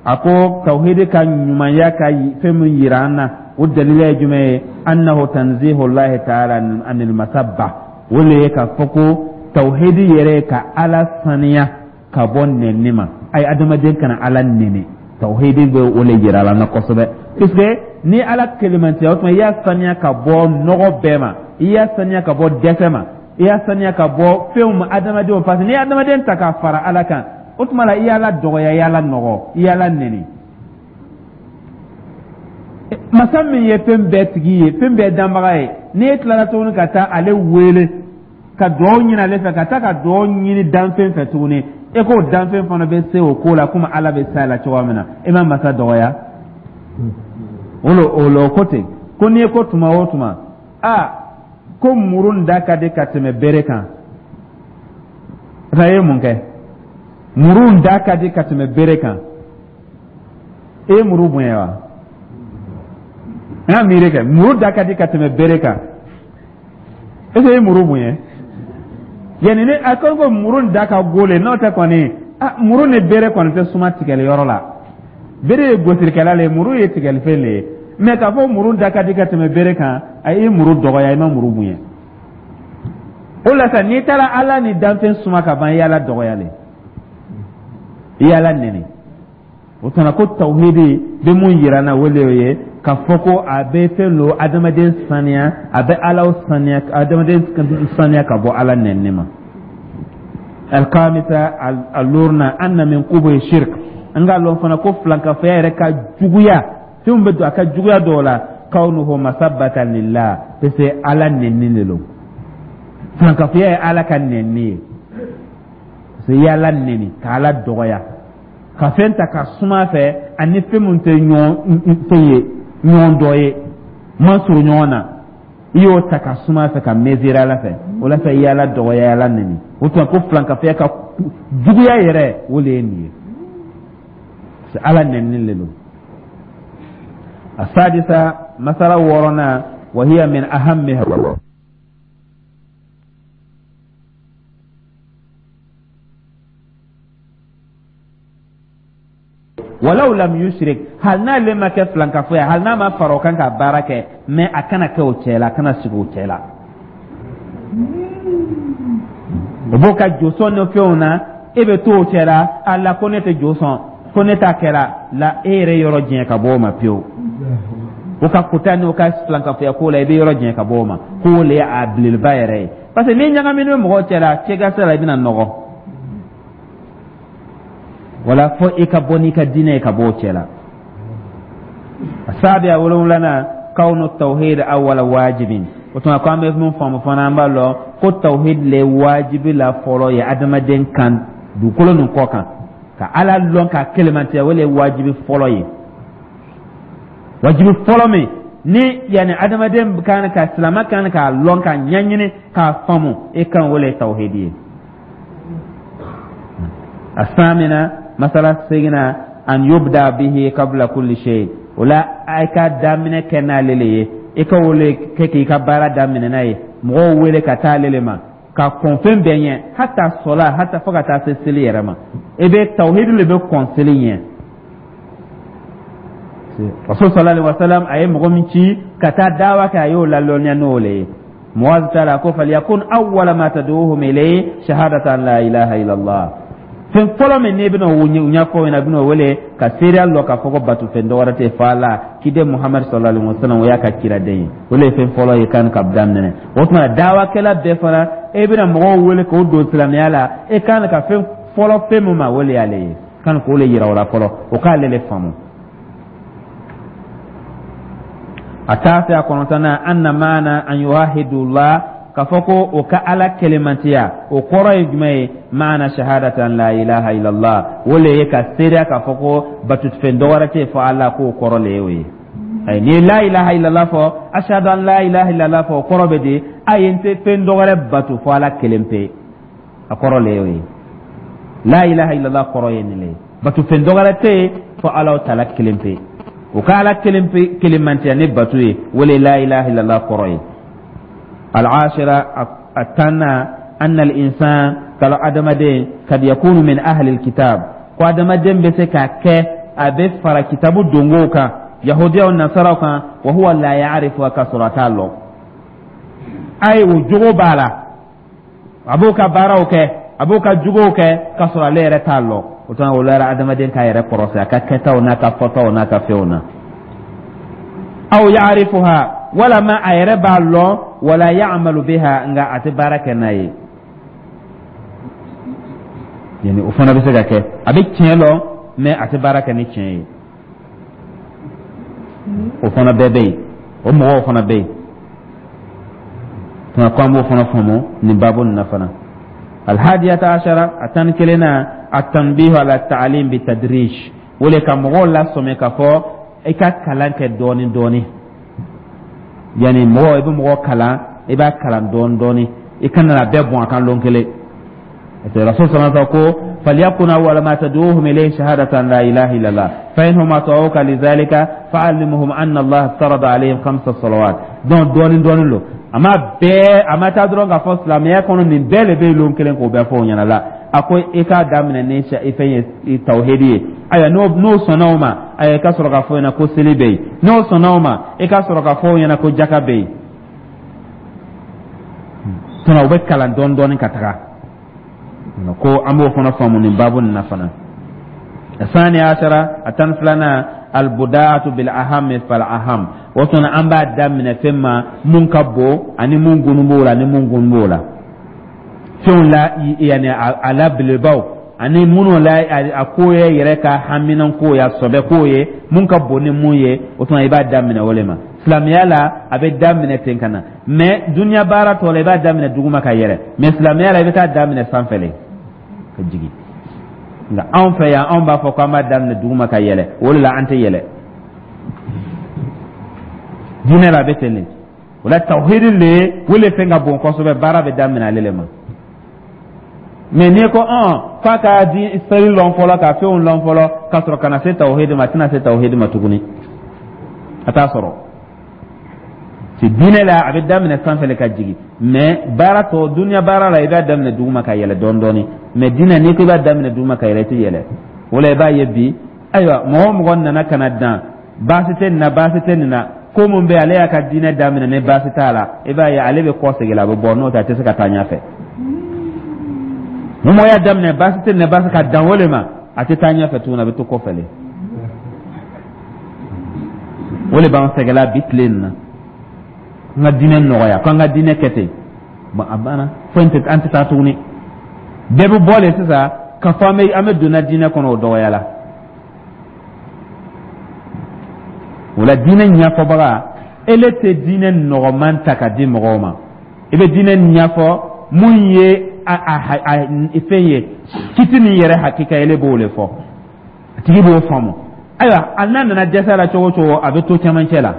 a ko tawhid ka ɲumanya ka fɛn min yira an na, o dalila ye jumɛn ye? Annahu tanzihu llahi ta'ala anil masabba, o le ye k'a fɔ ko tawhid yɛrɛ ye ka Ala saniya ka bɔ nɛni ma. Ayi, adamaden kana Ala nɛni, tawhid bɛ o le yira la na kosɛbɛ, puisque ni Ala kelemantiya, o tuma i y'a saniya ka bɔ nɔgɔ bɛɛ ma, i y'a saniya ka bɔ dɛsɛ ma, i y'a saniya ka bɔ fɛnw ma adamadenw, parce que n'i ye adamaden ta k'a fara Ala kan, o tuma la i y'Ala dɔgɔya, i y'Ala nɔgɔ, i y'Ala nɛni. Masa min ye fɛn bɛɛ tigi ye, fɛn bɛɛ danbaga ye, n'e tilara tuguni ka taa ale wele ka dugawu ɲini ale fɛ, ka taa ka dugawu ɲini danfɛn fɛ tuguni, e k'o danfɛn fana bɛ se o ko la komi Ala bɛ se a la cogoya min na, e ma masa dɔgɔya. O lo ko ten ko n'i ye ko tuma o tuma a ko muru da ka di ka tɛmɛ bere kan, a ye mun kɛ? Muru da ka di ka tɛmɛ bere kan, e ye muru bonya wa? An ka miiri kɛ, muru da ka di ka tɛmɛ bere kan, est ce que e ye muru bonya? Yanni ni a ko muru da ka go le, n'o tɛ kɔni, a muru ni bere kɔni tɛ suma tigɛli yɔrɔ la. Bere ye gosilikɛla le ye, muru ye tigɛlifɛn le ye. Mɛ k'a fɔ muru da ka di ka tɛmɛ bere kan, a ye muru dɔgɔya, i ma muru bonya. O la sa, n'i taara Ala ni danfɛn suma ka ban, i y'Ala dɔgɔya le, i y'Ala nɛni. O tuma ko tawhidi bɛ mun yira n na? O le ye k'a fɔ ko a bɛ fɛn lo adamaden saniya, a bɛ Ala saniya, adamaden saniya ka bɔ Ala nɛni ma. Alkamisa, a luurunan, anna min qubuhi shirk, an k'a lɔn fana ko filankafoya yɛrɛ ka juguya, fɛnw bɛ don a ka juguya dɔw la, kawnuhu masabbatan lillah, parce que Ala nɛni de lo. Filankafoya ye Ala ka nɛni ye, parce que i y'Ala nɛni ka Ala dɔgɔya, ka fɛn ta ka suma fɛ ani fɛn min tɛ ɲɔgɔn fɛn ye, ɲɔgɔn dɔ ye, man surun ɲɔgɔn na, i y'o ta ka suma fɛ ka mesurer Ala fɛ. O la sa, i y'Ala dɔgɔya, i y'Ala nɛni. O tuma ko filankafoya ka juguya yɛrɛ, o de ye nin ye, Ala nɛni le don. Asadisa, masala wɔɔrɔnan, wa hiya min ahammiha. Walaw lam yushrik, hali n'ale ma kɛ filankafo ye, hali n'a ma fara o kan ka baara kɛ, mais a kana kɛ o cɛ la, a kana sigi o cɛ la. O b'o ka josɔn ni fɛnw na, e bɛ to o cɛ la, a la ko ne tɛ josɔn, ko ne t'a kɛra la, e yɛrɛ yɔrɔ janya ka bɔ o ma pewu. O ka kota n'o ka filankafoya ko la, i bɛ yɔrɔ janya ka bɔ o ma, k'o le ye a belebeleba yɛrɛ ye, parce que n'i ɲagaminen bɛ mɔgɔw cɛ la, cɛ ka sira la, i bɛna nɔgɔ. Wala fo i ka bɔ n'i ka diinɛ ye ka bɔ o cɛ la. Asabiya, wolonwulanan, kawnu tawhid awwala wajibin. O tuma ko an bɛ mun faamu fana? An b'a lɔn ko tawhid le wajibi la fɔlɔ ye adamaden kan dugukolo nin kɔ kan. Ka Ala lɔn k'a kelemantiya, o le ye wajibi fɔlɔ ye, wajibi fɔlɔ min ni yanni adamaden kan ka silama kan k'a lɔn, k'a ɲɛɲini, k'a faamu i kan, o le ye tawhidi ye. Asamina, masala seginna, an yubda bihi qabla kulli shay. O la a ka daminɛ kɛ n'ale le ye, i ka o le kɛ k'i ka baara daminɛ n'a ye, mɔgɔw wele ka taa ale le ma ka kɔn fɛn bɛɛ ɲɛ, hata sɔla, hata fo ka taa se seli yɛrɛ ma, i bɛ tawhidi le bɛ kɔn seli ɲɛ. Rasul sallallahu alaihi wasallam a ye mɔgɔ min ci ka taa dawa kɛ, a y'o lalɔnniya n'o le ye. Muaz taara ko falyakun awwala ma tad'uhum ilayhi shahadatu an la ilaha illallah. Fɛn fɔlɔ min n'i bɛna o ɲɛfɔ ɲɛna, bɛna o wele ka seereya lɔ k'a fɔ ko bato fɛn dɔwɛrɛ tɛ fo Ala, kiden Muhamadu sallallahu alaihi wasallam o y'a ka ciraden ye, o de ye fɛn fɔlɔ ye kan ka daminɛ. O tuma dawakɛla bɛɛ fana, e bɛna mɔgɔw wele k'o don silamɛya la, e kan ka fɛn fɔlɔ fɛn min ma, o de y'ale ye, kan k'o le yira o la fɔlɔ, o k'ale le faamu. A tasiya, kɔnɔntɔnnan, anna maana an yuwahidullah, k'a fɔ ko o ka Ala kelemantiya, o kɔrɔ ye jumɛn ye? Maana shahadata an la ilaha illallah, o le ye ka seereya k'a fɔ ko batufɛn dɔwɛrɛ tɛ fɔ Ala, k'o kɔrɔ le ye o ye. Ayi, n'i ye la ilaha illallah fɔ, ashhadu an la ilaha illallah fɔ, o kɔrɔ bɛ di? Ayi, n tɛ fɛn dɔwɛrɛ bato fɔ Ala kelen pe, a kɔrɔ le ye o ye. La ilaha illallah kɔrɔ ye nin le ye, batofɛn dɔwɛrɛ tɛ yen fo Ala taala kelen pe. O ka Ala kelen pe kelemantiya ni bato ye, o le la ilaha illallah kɔrɔ ye. Al-ashira, a tanna. Anna al-insan, kalo adamaden, kad yakunu min ahli al-kitab, ko adamaden bɛ se ka kɛ a bɛ fara kitabu dongow kan, yahudiyaw, nasaraw kan, wa huwa la ya'rifu, ka sɔrɔ a t'a lɔn. Ayi, o jogo b'a la, a b'o ka baaraw kɛ, a b'o ka juguw kɛ, ka sɔrɔ ale yɛrɛ t'a lɔn. O tuma, o la adamaden k'a yɛrɛ kɔrɔsi a ka kɛtaw n'a ka fɔtaw n'a ka fɛnw na. Aw ya'rifuha, walama a yɛrɛ b'a lɔn, wala ya'malu biha, nka a tɛ baara kɛ n'a ye. Yani o fana bɛ se ka kɛ, a bɛ tiɲɛ lɔn, mais a tɛ baara kɛ ni tiɲɛ ye. O fana bɛɛ bɛ yen, o mɔgɔw fana bɛ yen. Tuma ko an b'o fana faamu nin baabu nin na fana. Alhadiyata ashara, a 11nan, atanbihu ala ta'alim bi tadrij, o le ka mɔgɔw lasɔmi k'a fɔ i ka kalan kɛ dɔɔni dɔɔni. Yani mɔgɔ, i bɛ mɔgɔ kalan, i b'a kalan dɔɔni dɔɔni, i kana na bɛɛ bɔn a kan lon kelen. Parce que Rasul sallallahu alaihi wasallam ko falyakun awwala ma tad'uhum ilayhi shahadatan la ilaha illallah, fa inhum ata'uka lidhalika fa'allimhum anna Allah farada alayhim khamsa salawat. Donc dɔɔni dɔɔni lo, a ma bɛɛ, a ma taa dɔrɔn k'a fɔ silamɛya kɔnɔ nin bɛɛ de bɛ yen lon kelen k'o bɛɛ fɔ o ɲɛna la. A ko i k'a daminɛ ni i fɛn ye, tawhidi ye. Ayiwa, n'o sɔnna o ma, ayiwa, i ka sɔrɔ k'a fɔ o ɲɛna ko seli bɛ yen. N'o sɔnna o ma, i ka sɔrɔ k'a fɔ o ɲɛna ko jaka bɛ yen. Tuma u bɛ kalan dɔɔni dɔɔni ka taga. Ko an b'o fana faamu nin baabu nin na fana. Sani ashara, a 12nan, albudaatu bil ahami fal aham. O tuma an b'a daminɛ fɛn ma mun ka bon ani mun gunu b'o la ani mun gunu b'o la, fɛnw la, yani a la belebelebaw ani minnu la a ko ye yɛrɛ ka haminanko ye, a sɔbɛ ko ye, mun ka bon ni mun ye. O tuma i b'a daminɛ o le ma. Silamɛya la, a bɛ daminɛ ten ka na, mais duniya baara tɔ la, i b'a daminɛ duguma ka yɛlɛ, mais silamɛya la, i bɛ taa daminɛ sanfɛ le ka jigin. Nka anw fɛ yan, anw b'a fɔ k'an b'a daminɛ duguma ka yɛlɛ, o de la an tɛ yɛlɛ. Diinɛ la, a bɛ ten de. O la tawhidi le, o le fɛn ka bon kosɛbɛ, baara bɛ daminɛ ale le ma. Mais n'i ko ɔn f'a ka di seli lɔn fɔlɔ, ka fɛnw lɔn fɔlɔ, ka sɔrɔ ka na se tawhidi ma, a tɛna se tawhidi ma tuguni, a t'a sɔrɔ. Si diinɛ la, a bɛ daminɛ sanfɛ le ka jigin, mais baara tɔ, duniya baara la, i b'a daminɛ duguma ka yɛlɛ dɔɔni dɔɔni. Mais diinɛ, n'i ko i b'a daminɛ duguma ka yɛlɛ, i tɛ yɛlɛ. O la i b'a ye bi, ayiwa, mɔgɔ o mɔgɔ nana ka na dan, baasi tɛ nin na, baasi tɛ nin na, ko mun bɛ ale y'a ka diinɛ daminɛ ni baasi t'a la, i b'a ye ale bɛ kɔ segin la, a bɛ bɔ, n'o tɛ a tɛ se ka taa ɲɛfɛ. Ni mɔgɔ y'a daminɛ baasi tɛ nin na, baasi ka dan o le ma, a tɛ taa ɲɛfɛ tuguni, a bɛ to kɔfɛ le. O le b'an sɛgɛla bi tile nin na. An ka diinɛ nɔgɔya, ko an ka diinɛ kɛ ten, bon, a banna, foyi tɛ, an tɛ taa tuguni. Bɛɛ bɛ bɔ le sisan ka fɔ an bɛ donna diinɛ kɔnɔ, o dɔgɔyala. O la diinɛ ɲɛfɔbaga, ele tɛ diinɛ nɔgɔman ta ka di mɔgɔw ma. I bɛ diinɛ ɲɛfɔ mun ye, a fɛn ye kiti nin yɛrɛ hakika, ele b'o le fɔ, a tigi b'o faamu. Ayiwa, a n'a nana dɛsɛ la cogo o cogo, a bɛ to cɛmancɛ la.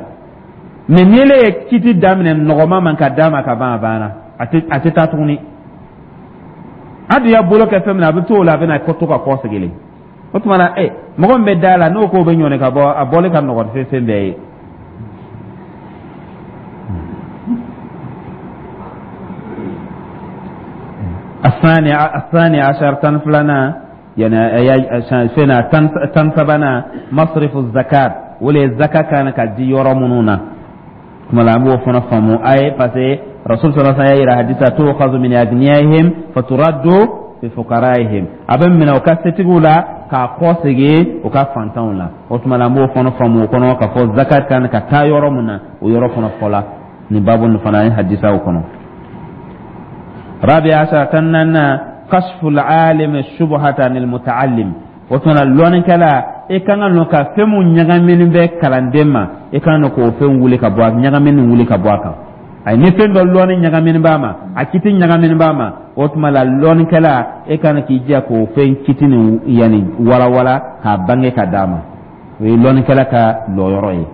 Mais ni ele ye kiti daminɛ nɔgɔman man ka d'a ma ka ban, a banna, a tɛ taa tuguni. A dun y'a bolo kɛ fɛn min na, a bɛ to o la, a bɛna to ka kɔ segin. O tuma na, mɔgɔ min bɛ da la, n'o k'o bɛ ɲɔni ka bɔ, a bɔli ka nɔgɔn fɛn fɛn bɛɛ ye. الثاني عشر، 12nan، yani fɛn 13nan, masrifu zakat, o le zaka kan ka di yɔrɔ minnu na. Kuma la an b'o fana faamu a ye, parce que Rasul sallallahu alaihi wasallam y'a yira hadisa tu'khadhu min agniyaihim faturaddu fi fuqaraihim, a bɛ minɛ u ka setigiw la k'a kɔ segin u ka fantanw la. O tuma la an b'o fana faamu o kɔnɔ k'a fɔ zakat kan ka taa yɔrɔ min na, o yɔrɔ fana fɔla nin babu nin fana ye hadisaw kɔnɔ. Rabi ashara, 14nan, kashful alim shubhata anil muta'allim. O tuma na lɔnnikɛla, i kan ka nɔ ka fɛn mun ɲagaminen bɛ kalanden ma, i kan ka k'o fɛn wuli ka bɔ a ɲagaminen wuli ka bɔ a kan. Ayi, ni fɛn dɔ lɔnni ɲagaminen b'a ma, a kiti ɲagaminen b'a ma, o tuma la lɔnnikɛla, e kan k'i jija k'o fɛn kiti nin yanni walawala k'a bange ka d'a ma. O ye lɔnnikɛla ka lɔyɔrɔ ye.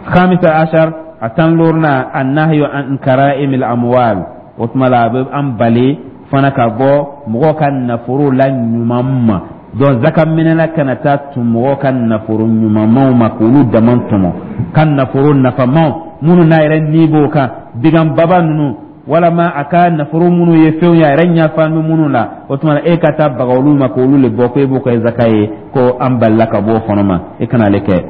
Khamisa ashar, a 15nan, annahyu an kara'imil amwal. O tuma la a bɛ an bali fana ka bɔ mɔgɔw ka nafolo la ɲuman ma. Donc zaka minɛla kana taa tun mɔgɔw ka nafolo ɲumanmaw ma k'olu dama tɔmɔ, ka nafolo nafamaw minnu n'a yɛrɛ ni b'o kan, bigan baba ninnu. Walama a ka nafolo minnu ye fɛnw ye, a yɛrɛ ɲɛfan bɛ minnu la, o tuma na e ka taa baga olu ma k'olu le bɔ ko e b'o kɛ zaka ye, ko an balila ka bɔ o fana ma, e kana ale kɛ.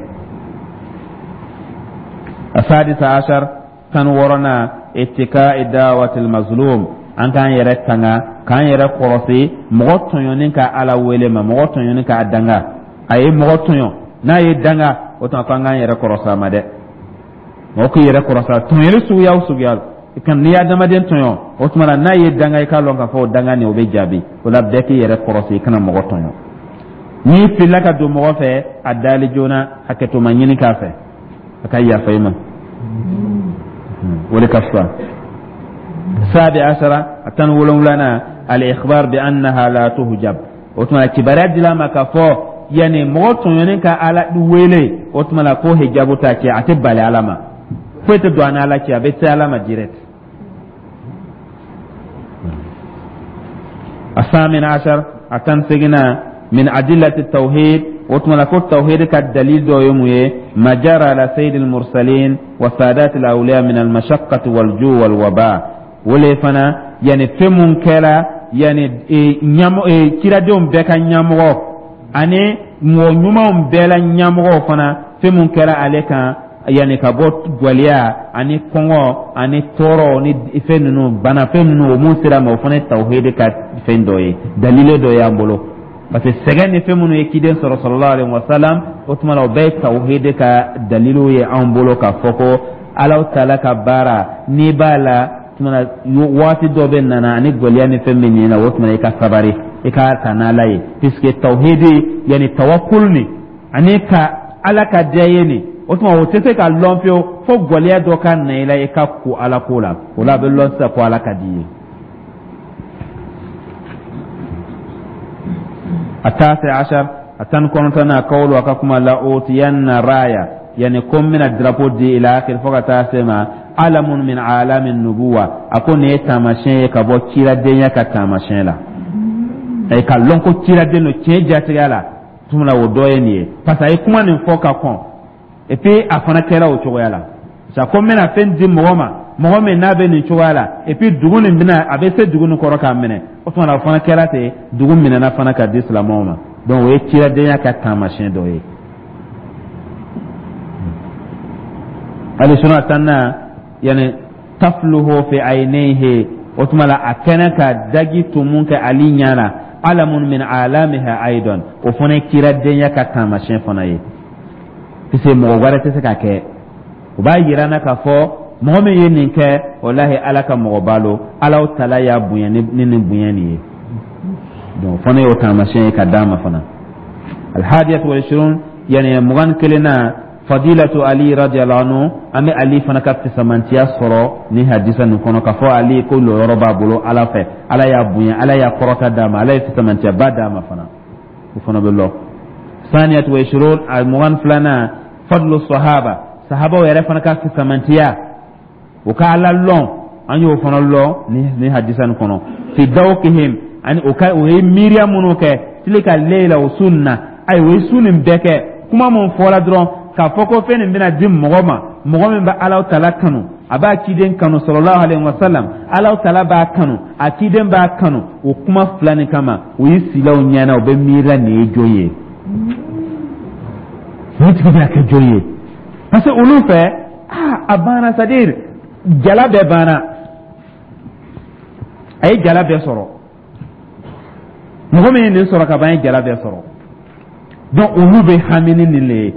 Asadisa ashar, 16nan, ittika dawatil mazlum. An k'an yɛrɛ tanga, k'an yɛrɛ kɔrɔsi mɔgɔ tɔɲɔni ka Ala wele ma, mɔgɔ tɔɲɔni k'a danga. A ye mɔgɔ tɔɲɔ, n'a ye danga, o tuma k'an k'an yɛrɛ kɔrɔsi a ma dɛ. Mɔgɔ k'i yɛrɛ kɔrɔsi tɔɲɔli suguya o suguya kan. N'i ye adamaden tɔɲɔ, o tuma na n'a ye danga, i k'a lɔn k'a fɔ o danga nin, o bɛ jaabi. O la, bɛɛ k'i yɛrɛ kɔrɔsi, i kana mɔgɔ tɔɲɔ. N'i filila ka don mɔgɔ fɛ, a dali joona, hakɛtoma ɲini k'a fɛ, a ka yafa i ma, o de ka fisa. Sabi asara, a 17nan, al-ikhbar bi annaha la tuhjab. O tuma kibaruya dila ma k'a fɔ yanni mɔgɔ tɔɲɔni ka Ala wele, o tuma na ko hijabu t'a cɛ, a tɛ bali Ala ma, foyi tɛ don a ni Ala cɛ, a bɛ se Ala ma direct. Asamin ashar, a 18nan, min adillati tawhid. O tuma na ko tawhid ka dalil dɔ ye mun ye? Ma jara ala sayyidil mursalin wa sadatil awliya min al mashaqqati wal ju wal waba. O le fana, yani fɛn mun kɛra yani ciradenw bɛɛ ka ɲɛmɔgɔ ani mɔgɔ ɲumanw bɛɛ la ɲɛmɔgɔw fana, fɛn mun kɛra ale kan, yani ka bɔ gwɛlɛya ani kɔngɔ ani tɔɔrɔ ni fɛn ninnu, bana fɛn ninnu, o mun sera ma, o fana ye tawhid ka fɛn dɔ ye, dalile dɔ y'an bolo. Parce que sɛgɛn ni fɛn minnu ye ciden sɔrɔ, sallallahu alaihi wasallam, o tuma na o bɛɛ ye tawhid ka dalilu ye anw bolo, k'a fɔ ko Alaw taala ka baara n'i b'a la, tuma na waati dɔ bɛ nana ani gwɛlɛya ni fɛn bɛ nin na, o tuma i ka sabari, i ka ta n'Ala ye, puisque tawhidi, yani tawakkul ni ani ka Ala ka diya ye nin, o tuma o tɛ se ka lɔn fiyewu fo gwɛlɛya dɔ ka na i la, i ka ko Ala ko la. O la, a bɛ lɔn sisan ko Ala ka di i ye. Atasi ashar, a 19nan, kawulu, a ka kuma, la utiyanna raya, yani ko n bɛna drapeau di, ila akhir, fo ka taa se ma, alamun min alami nubuwa. A ko nin ye taamasiyɛn ye ka bɔ ciradenya ka taamasiyɛn la, ayi ka lɔn ko ciraden don tiɲɛ jatigɛ la. Tuma o dɔ ye nin ye, parce que a ye kuma nin fɔ ka kɔn, et puis a fana kɛra o cogoya la sa, ko n bɛna fɛn di mɔgɔ ma, mɔgɔ min n'a bɛ nin cogoya la, et puis dugu nin bɛna, a bɛ se dugu nin kɔrɔ k'a minɛ. O tuma na o fana kɛra ten, dugu minɛna fana ka di silamɛw ma. Donc o ye ciradenya ka taamasiyɛn dɔ ye. Alisuna tanna, yani tafluhu fi aynayhi, o tuma la a kɛnɛ ka daji tumun kɛ Ali ɲɛ na, alamun min alamiha aidan, o fana ye ciradenya ka taamasiyɛn fana ye, puisque mɔgɔ wɛrɛ tɛ se k'a kɛ. O b'a yira n na k'a fɔ mɔgɔ min ye nin kɛ, walahi, Ala ka mɔgɔba lo, Alaw tala y'a bonya ni nin bonya nin ye. Donc o fana y'o taamasiyɛn ye ka d'a ma fana. Alhadiyatu wal ishirun, yani 21 na, fadilatu Ali radiyallahu anhu. An bɛ Ali fana ka fisamantiya sɔrɔ ni hadisa nin kɔnɔ, k'a fɔ Ali ko lɔyɔrɔ b'a bolo Ala fɛ, Ala y'a bonya, Ala y'a kɔrɔta d'a ma, Ala ye fisamantiyaba d'a ma fana, o fana bɛ lɔ. Saniyatu wa ishirun, a 22nan, fadlu sahaba, sahabaw yɛrɛ fana ka fisamantiya, o ka Ala lɔn, an y'o fana lɔn ni hadisa nin kɔnɔ. Fi dawkihim, ani o ka o ye miiriya minnu kɛ, tilika leila o su nin na, ayi, o ye su nin bɛɛ kɛ. Kuma mun fɔra dɔrɔn k'a fɔ ko fɛn nin bɛna di mɔgɔ ma, mɔgɔ min bɛ Alaw tala kanu, a b'a ciden kanu, sallallahu alaihi wasallam, Alaw tala b'a kanu, a ciden b'a kanu, o kuma fila nin kama, u ye silaw ɲɛna, u bɛ miirila nin ye jɔn ye, nin tigi bɛna kɛ jɔn ye? Parce que olu fɛ, aa, a banna, c'est à dire jala bɛɛ banna, a ye jala bɛɛ sɔrɔ. Mɔgɔ min ye nin sɔrɔ ka ban, ye jala bɛɛ sɔrɔ. Donc olu bɛ hami ni nin le ye.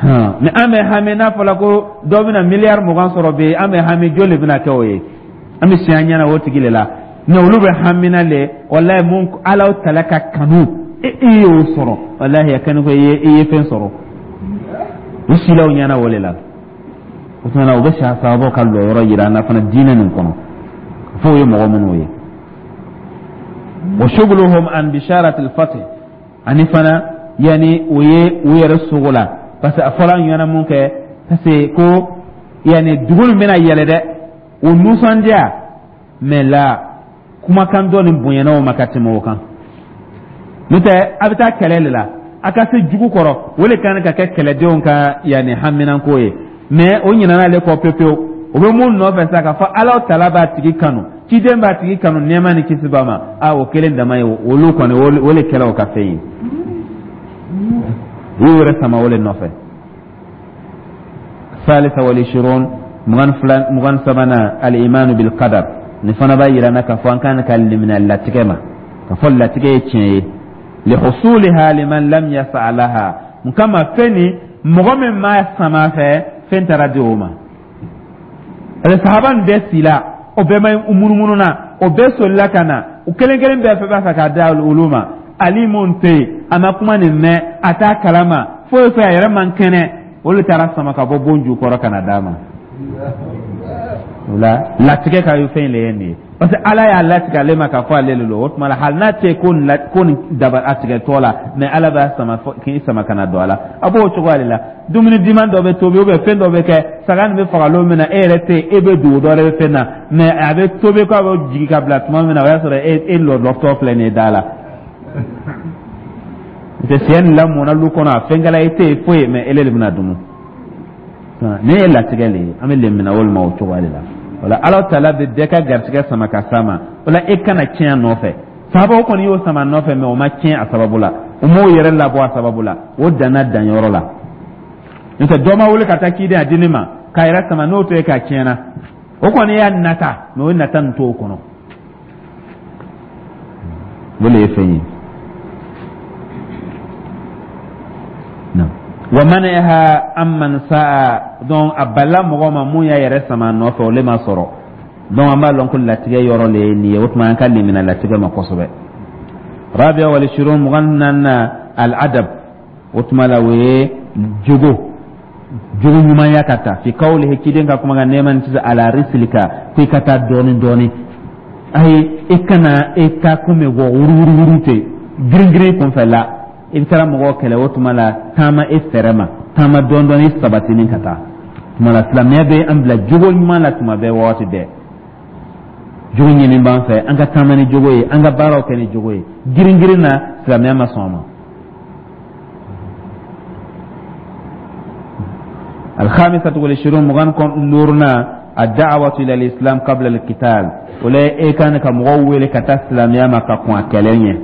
Ni an bɛ hami, n'a fɔra ko dɔ bɛna miliyari 20 sɔrɔ bi, an bɛ hami joli de bɛna kɛ o ye, an bɛ si an ɲɛna o tigi de la. Mais olu bɛ hamina le, walayi, mun Alaw tala ka kanu, e y'o sɔrɔ, walayi, a kɛni ko i ye fɛn sɔrɔ. U silaw ɲɛna o de la. O tuma na u bɛ sahabaw ka lɔyɔrɔ yira an na fana diinɛ nin kɔnɔ, f'o ye mɔgɔ minnu ye. Wa shuguluhum an bisharatil fath, ani fana yani o ye u yɛrɛ sogo la, parce que a fɔra an ɲɛna mun kɛ, parce que ko yani dugu nin bɛna yɛlɛ dɛ, o nisɔndiya, mais la kumakan dɔ nin bonyana o ma ka tɛmɛ o kan. N'o tɛ, a bɛ taa kɛlɛ de la, a ka se jugu kɔrɔ, o de kan ka kɛ kɛlɛdenw ka yanni haminanko ye, mais o ɲinɛna ale kɔ pewu pewu. O bɛ mun nɔfɛ sa? K'a fɔ Ala tala b'a tigi kanu, ciden b'a tigi kanu, nɛɛma ni kisi b'a ma. A o kelen dama ye, olu kɔni, o le kɛla o ka fɛn ye. U y'u yɛrɛ sama o le nɔfɛ. Salisa wal ishirun, 22, 23nan, al-imanu bil qadar. Nin fana b'a yira n na k'a fɔ an kan ka limaniya latigɛ ma, k'a fɔ latigɛ ye tiɲɛ ye. Lihusuliha liman lam yas'a laha, mun kama? Fɛn ni mɔgɔ min m'a sama fɛ, fɛn taara di o ma. Ale sahaba nin bɛɛ sila, o bɛɛ ma munumunu na, o bɛɛ solila ka na, u kelen kelen bɛɛ fɛ b'a fɛ k'a di olu ma. Ali mun tɛ yen, a ma kuma nin mɛn, a t'a kalama foyi foyi, a yɛrɛ man kɛnɛ, olu taara sama ka bɔ bon jukɔrɔ ka na d'a ma. O la, latigɛ ka fɛn le ye nin ye, parce que Ala y'a latigɛ ale ma k'a fɔ ale le don. O tuma la, hali n'a tɛ ko nin daba a tigɛtɔ la, mais Ala b'a sama k'i sama ka na don a la. A b'o cogoya de la. Dumuni diman dɔ bɛ tobi ou bien fɛn dɔ bɛ kɛ, saga nin bɛ faga lon min na, e yɛrɛ tɛ yen, e bɛ dugu dɔ wɛrɛ bɛ fɛn na, mais a bɛ tobi k'a bɛ jigin ka bila tuma min na, o y'a sɔrɔ e lɔlɔtɔ filɛ nin ye da la. N'o tɛ sɛ nin lamɔna lu kɔnɔ, a fɛnkɛla, e tɛ yen foyi, mais ele de bɛna dumu. Nin ye latigɛ le ye, an bɛ lemina o ma o cogoya de la. O la, Ala taala bɛ bɛɛ ka garisɛgɛ sama ka s'a ma. O la, e kana tiɲɛ a nɔfɛ. Sahabaw kɔni y'o sama nɔfɛ, mais o ma tiɲɛ a sababu la, o m'o yɛrɛ labɔ a sababu la, o danna danyɔrɔ la. N'o tɛ, dɔ ma wuli ka taa ciden a di ne ma k'a yɛrɛ sama n'o to ye k'a tiɲɛna. O kɔni y'a nata, mais o nata nin t'o kɔnɔ. O de ye fɛn ye. Wa man'iha amman sa'a, donc a balila mɔgɔ ma mun y'a yɛrɛ sama nɔfɛ, o le ma sɔrɔ. Donc an b'a lɔn ko latigɛ yɔrɔ le ye nin ye. O tuma, an ka limina latigɛ ma kosɛbɛ. Rabia wal ishirun, 24nan, al adab. O tuma la, o ye jogo ɲumanya ka taa. Fi kawlihi, ciden ka kuma kan, nɛɛma ni kisi, ala risilika, ko i ka taa dɔɔni dɔɔni. Ayi, e kana e ta komi wɔ wuruwuruwuru ten, girin girin kunfɛ la, i bɛ taara mɔgɔw kɛlɛ. O tuma la, taama e fɛrɛ ma, taama dɔɔni dɔɔni, sabatinin ka taa. Tuma la, silamɛya bɛ an bila jogo ɲuman la tuma bɛɛ, waati bɛɛ. Jogo ɲini b'an fɛ, an ka taama ni jogo ye, an ka baaraw kɛ ni jogo ye. Girin girin na, silamɛya ma sɔn a ma. الخامسة والعشرون، 25nan، الدعوة إلى الإسلام قبل القتال. O la, e kan ka mɔgɔw wele ka taa silamɛya ma ka kɔn a kɛlɛ ɲɛ.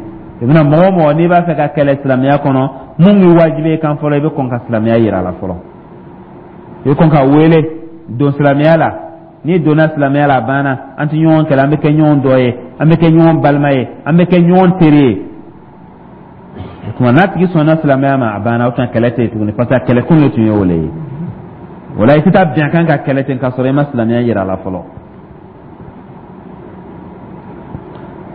I bɛna mɔgɔ o mɔgɔ n'i b'a fɛ ka kɛlɛ silamɛya kɔnɔ, mun ye wajibi ye kan fɔlɔ? I bɛ kɔn ka silamɛya yira a la fɔlɔ, i bɛ kɔn ka wele don silamɛya la. N'i donna silamɛya la, a banna, an tɛ ɲɔgɔn kɛlɛ, an bɛ kɛ ɲɔgɔn dɔ ye, an bɛ kɛ ɲɔgɔn balima ye, an bɛ kɛ ɲɔgɔn teri ye. O tuma, n'a tigi sɔnna silamɛya ma, a banna, o tuma kɛlɛ tɛ yen tuguni, parce que a kɛlɛkun de tun ye o le ye. O la, i tɛ taa bin a kan ka kɛlɛ ten k'a sɔrɔ i ma silamɛya yira a la fɔlɔ.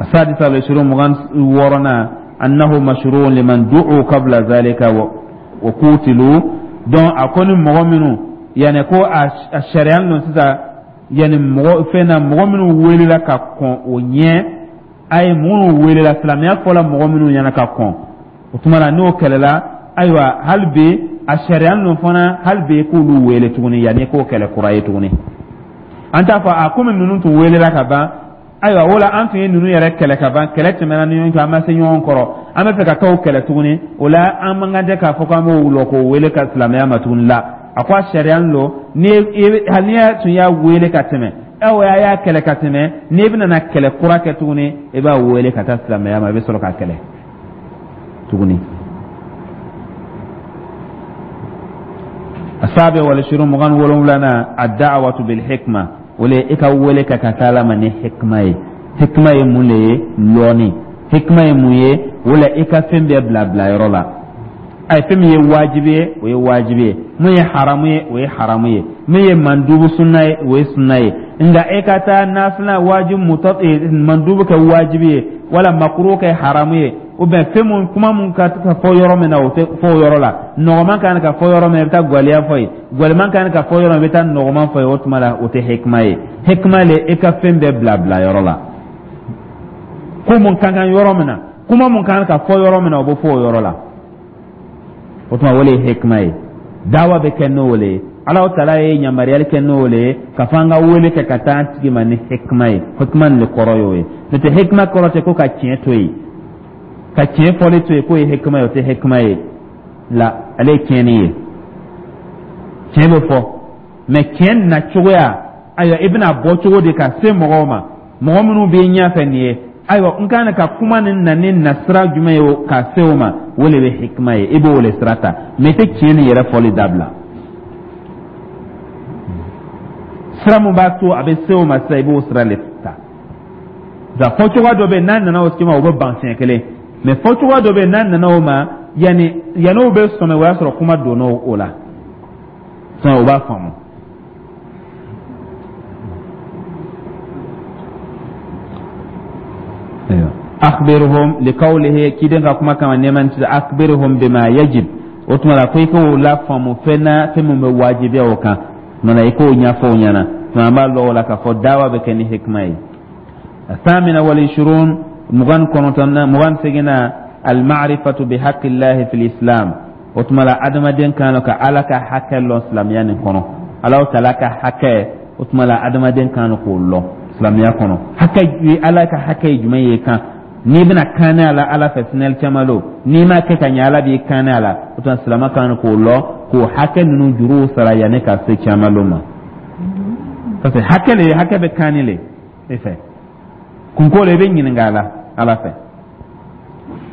السادسة والعشرون، 26nan، أنه مشروع لمن دعوا قبل ذلك وقوتلوا. Donc a ko ni mɔgɔ minnu, yani ko a sariya don sisan, yani mɔgɔ fɛn na, mɔgɔ minnu welela ka kɔn o ɲɛ, a ye minnu welela, silamɛya fɔla mɔgɔ minnu ɲɛna ka kɔn, o tuma na n'o kɛlɛla, ayiwa, hali bi a sariya ninnu fana, hali bi k'olu wele tuguni, yanni k'o kɛlɛ kura ye tuguni. An t'a fɔ a komi ninnu tun welela ka ban, ayiwa, o la an tun ye ninnu yɛrɛ kɛlɛ ka ban, kɛlɛ tɛmɛna ni ɲɔgɔn cɛ, an ma se ɲɔgɔn kɔrɔ, an bɛ fɛ ka t'o kɛlɛ tuguni. O la, an man kan tɛ k'a fɔ k'an b'o lɔ k'o wele ka silamɛya ma tuguni la. A ko a sariya don, ni hali n'i tun y'a wele ka tɛmɛ, aw a y'a kɛlɛ ka tɛmɛ, n'i bɛna na kɛlɛ kura kɛ tuguni, i b'a wele ka taa silamɛya ma, i bɛ sɔrɔ k'a kɛlɛ tuguni. Asabi wal ishirun, 27nan, ad-da'watu bil hikma. O le i ka wele ka ka taa Ala ma ni hikma ye. Hikma ye mun le ye? Lɔnni. Hikma ye mun ye? O la, i ka fɛn bɛɛ bila bilayɔrɔ la. Ayi, fɛn min ye wajibi ye, o ye wajibi ye, mun ye haramu ye, o ye haramu ye, min ye mandubu sunna ye, o ye sunna ye. Nka e ka taa nafila wajibi mutɔ mandubu kɛ wajibi ye, wala makuru kɛ haramu ye, ou bien fɛn mun, kuma mun ka fɔ yɔrɔ min na, o tɛ fɔ o yɔrɔ la. Nɔgɔman kan ka fɔ yɔrɔ min na, i bɛ taa gwɛlɛya fɔ yen. Gwɛlɛman kan ka fɔ yɔrɔ min, i bɛ taa nɔgɔman fɔ yen. O tuma la, o tɛ hikima ye. Hikima le, e ka fɛn bɛɛ bila bila yɔrɔ la. Ko mun ka kan yɔrɔ min na, kuma mun kan ka fɔ yɔrɔ min na, o bɛ fɔ o yɔrɔ la. O tuma, o le ye hikima ye. Dawa bɛ kɛ n'o le ye. Ala taala ye yamaruyali kɛ n'o le ye ka fɔ an ka wele kɛ ka taa an tigi ma ni hikima ye. Hikima nin de kɔrɔ y'o ye. N'o tɛ, hikima kɔrɔ tɛ ko ka tiɲɛ to yen, ka tiɲɛ fɔli to yen k'o ye hikima ye. O tɛ hikima ye la, ale ye tiɲɛni ye. Tiɲɛ bɛ fɔ, mais tiɲɛ na cogoya. Ayiwa, i bɛna bɔ cogo di ka se mɔgɔw ma, mɔgɔ minnu b'i ɲɛfɛ nin ye? Ayiwa, n kan ka kuma nin na ni nasira jumɛn ye ka se o ma? O le bɛ hikima ye, i b'o le sira ta, mais i tɛ tiɲɛ nin yɛrɛ fɔli dabila. Sira mun b'a to a bɛ se o ma sisan, i b'o sira le ta. Nka fɔcogoya dɔ bɛ yen, n'a nana o ma, o bɛ ban siɲɛ kelen, mais fɔcogoya dɔ bɛ yen, n'a nana o ma, yanni yann'o bɛ sɔmi, o y'a sɔrɔ kuma donna o la sisan, o b'a faamu. Akhbirhum liqawlihi, ciden ka kuma kama nɛɛma ni kisi, akhbirhum bima yajib. O tuma la ko i k'o lafaamu fɛn na, fɛn min bɛ wajibiya o kan mana, i k'o ɲɛfɔ o ɲɛna. Tuma an b'a lɔn o la k'a fɔ dawa bɛ kɛ ni hikima ye. Athamina wal ishirun, 29nan, 28nan, almarifatu bi haqqillahi fil islam. O tuma la adamaden kan ka Ala ka hakɛ lɔn silamɛya nin kɔnɔ. Alahu taala ka hakɛ, o tuma la adamaden kan k'o lɔn silamɛya kɔnɔ. Hakɛ, Ala ka hakɛ ye jumɛn ye kan n'i bɛna kanɛ a la Ala fɛ sinɛli caman lo, n'i m'a kɛ ka ɲɛ, Ala b'i kanɛ a la. O tuma silamɛ kan k'o lɔn, k'o hakɛ ninnu juruw sara yanni ka se caman lo ma, parce que hakɛ le, hakɛ bɛ kanni le e fɛ, kunko le, i bɛ ɲininka a la Ala fɛ.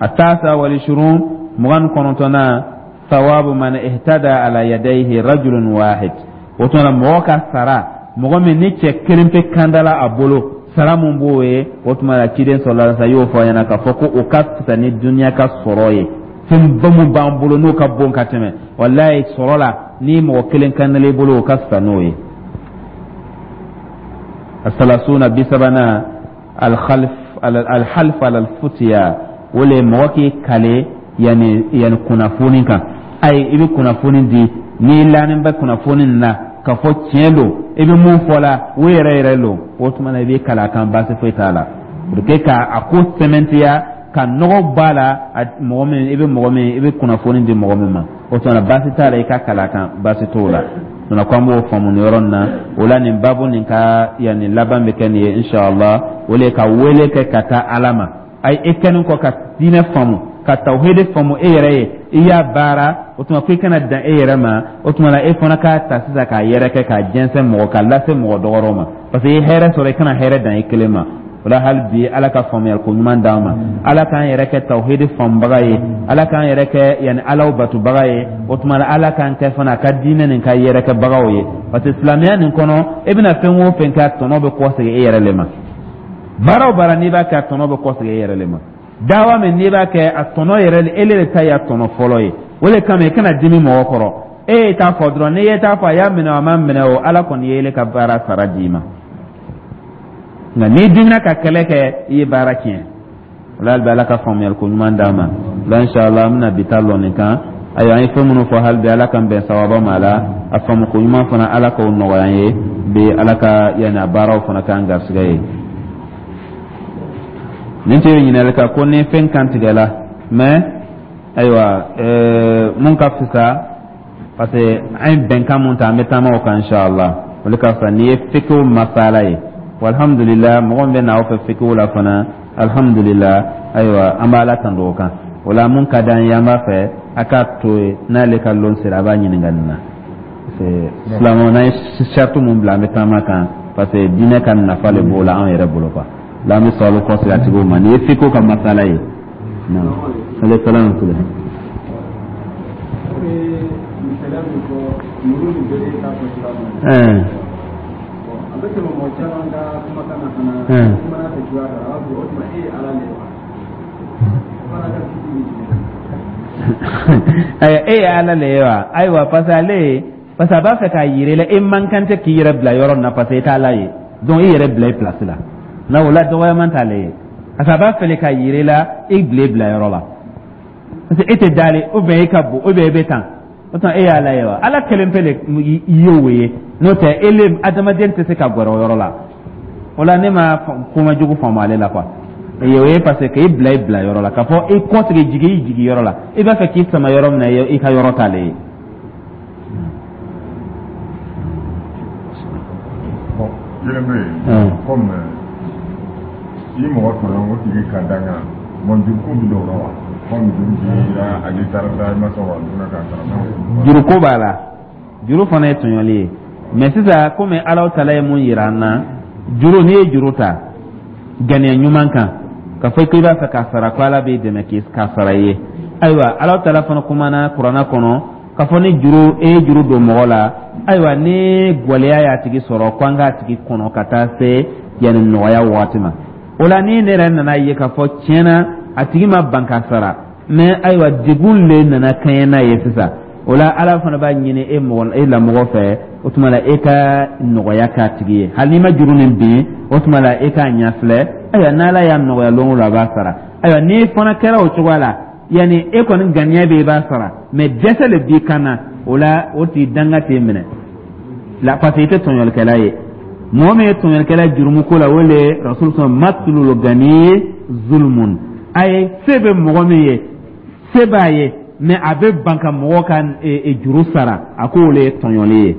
Atasa wal ishirun, 29nan, thawabu man ihtada ala yadayhi rajulun wahid. O tuma la mɔgɔ ka sara, mɔgɔ min ni cɛ kelen pe kandala a bolo, sara mun b'o ye, o tuma la ciden sallallahu alaihi wasallam y'o fɔ a ɲɛna k'a fɔ ko o ka fisa ni duniya ka sɔrɔ ye. Fɛnba mun b'an bolo n'o ka bon ka tɛmɛ, walayi, sɔrɔ la, ni mɔgɔ kelen kandala i bolo, o ka fisa n'o ye. Asalasuna, 30nan, alkhalf alhalf ala alfutiya. O le mɔgɔ k'i kale yanni kunnafoni kan. Ayi, i bɛ kunnafoni di n'i lanin bɛ kunnafoni na k'a fɔ tiɲɛ don, i bɛ mun fɔ la, o yɛrɛ yɛrɛ don, o tuma na i b'i kali a kan, baasi foyi t'a la, pour que ka a ko sɛmɛntiya, ka nɔgɔ b'a la. Mɔgɔ min i bɛ, mɔgɔ min i bɛ kunnafoni di mɔgɔ min ma, o tuma na baasi t'a la, i ka kali a kan, baasi t'o la. Tuma ko an b'o faamu nin yɔrɔ nin na. O la nin babu nin ka yanni laban bɛ kɛ nin ye inshallah. O le ka wele kɛ ka taa Ala ma. Ayi, e kɛlen kɔ ka diinɛ faamu, ka tawhidi faamu e yɛrɛ ye, i y'a baara, o tuma ko i kana dan e yɛrɛ ma. O tuma na e fana k'a ta sisan k'a yɛrɛkɛ, k'a jɛnsɛn mɔgɔ, k'a lase mɔgɔ dɔgɔrɔw ma, parce que i ye hɛrɛ sɔrɔ, i kana hɛrɛ dan i kelen ma. O la hali bi, Ala ka faamuyali ko ɲuman d'an ma. Ala k'an yɛrɛ kɛ tawhidi faamubaga ye. Ala k'an yɛrɛ kɛ yanni Alaw batubaga ye. O tuma la Ala k'an kɛ fana a ka diinɛ nin ka yɛrɛkɛbagaw ye, parce que silamɛya nin kɔnɔ, e bɛna fɛn o fɛn kɛ, a tɔnɔ bɛ kɔsegin e yɛrɛ le ma. Baara o baara n'i b'a kɛ, a tɔnɔ bɛ kɔsegin e yɛrɛ le ma. Dawa min n'i b'a kɛ, a tɔnɔ yɛrɛ, e le ta ye a tɔnɔ fɔlɔ ye. O de kama i kana dimi mɔgɔ kɔrɔ. E ye t'a fɔ dɔrɔn, n'i ye t'a fɔ, a y'a minɛ o, a ma minɛ o, Ala kɔni ye ele ka baara sara d'i ma. Nka n'i dimina ka kɛlɛ kɛ, i ye baara tiɲɛ. O la hali bi, Ala ka faamuyali ko ɲuman d'an ma. O la inshallah, an bɛna bi ta lɔ nin kan. Ayiwa, an ye fɛn minnu fɔ, hali bi Ala k'an bɛn sawaba ma a la. A faamu ko ɲuman fana, Ala k'o nɔgɔya an ye bi. Ala ka yanni a baaraw fana k'an garisɛgɛ ye. Nin tɛ ɲininkali kan ko ni fɛn kan tigɛla, mais ayiwa, mun ka fisa, parce que an ye bɛnkan mun ta, an bɛ taama o kan inshallah, o de ka fisa. N'i ye fikihu masala ye, alhamdulillah, mɔgɔ min bɛ na aw fɛ fikihu la fana, alhamdulillah, ayiwa, an b'a Ala tando o kan. O la mun ka d'an ye, an b'a fɛ a k'a to yen, n'ale ka lon sera, a b'a ɲininka nin na. Silamɛw, n'an ye sariti mun bila, an bɛ taama kan, parce que diinɛ ka nafa le b'o la anw yɛrɛ bolo quoi. La an bɛ sɔrɔ kɔsegin a tigiw ma. Nin ye fikihu ka masala ye. Naam, alayhi salam. A bɛ tɛmɛ mɔgɔ caman ka kumakan na fana, kumana fɛ cogoya dɔ la, a b'a fɔ o tuma e ye Ala le ye wa? O fana ka kiti bɛ jumɛn? E ye Ala le ye wa? Ayiwa, parce que ale, parce que a b'a fɛ k'a yira i la, e man kan tɛ k'i yɛrɛ bila yɔrɔ min na, parce que e t'Ala ye. Donc i yɛrɛ bila i place la na, o la dɔgɔyaman t'ale ye, parce que a b'a fɛ k'a yira i la, i bila i bila yɔrɔ la, parce que e tɛ dalen, ou bien e ka bon, ou bien e bɛ tan, o tuma e y'Ala ye wa? Ala kelen pe le ye o ye, n'o tɛ e le adamaden tɛ se ka gɛrɛ o yɔrɔ la. O la ne ma kuma jugu faamu ale la quoi. O ye parce que k'i bila i bila yɔrɔ la, k'a fɔ i kɔsegin, jigin i jigin yɔrɔ la, i b'a fɛ k'i sama yɔrɔ min na, i ka yɔrɔ t'ale ye. Kelen bɛ yen, comme i mɔgɔ tɔɲɔ, o tigi ka danga, bon, juruko bɛ don o la wa? Comme juru b'i la, ale taara da i ma sɔn ka dun k'a sara. Juruko b'a la, juru fana ye tɔɲɔli ye. Mais sisan, komi Ala tala ye mun yira an na, juru, n'i ye juru ta ganiya ɲuman kan ka fɔ k'i b'a fɛ k'a sara, ko Ala b'i dɛmɛ k'i k'a sara i ye. Ayiwa, Ala tala fana kumana Kuranna kɔnɔ k'a fɔ ni juru, e ye juru don mɔgɔ la, ayiwa, ni gwɛlɛya y'a tigi sɔrɔ, ko an k'a tigi kɔnɔ ka taa se yanni nɔgɔya waati ma. O la, ni ne yɛrɛ nana ye k'a fɔ tiɲɛna a tigi ma ban ka sara, mais ayiwa, degun le nana kɛɲɛ n'a ye sisan, o la Ala fana b'a ɲini e mɔgɔ, e lamɔgɔ fɛ, o tuma la e ka nɔgɔya k'a tigi ye. Hali n'i ma juru nin bin, o tuma la e k'a ɲɛfilɛ. Ayiwa, n'Ala y'a nɔgɔya lon o lon, a b'a sara. Ayiwa, n'i fana kɛra o cogoya la, yanni e kɔni ganiya bɛ i b'a sara, mais dɛsɛ le b'i kan na, o la o t'i danga t'i minɛ la, parce que i tɛ tɔɲɔlikɛla ye. Mɔgɔ min ye tɔɲɔlikɛla jurumu ko la, o le rasul sɔn matlul gani zulmun. A ye se bɛ mɔgɔ min ye, se b'a ye, mais a bɛ ban ka mɔgɔ ka juru sara, a k'o le ye tɔɲɔli ye.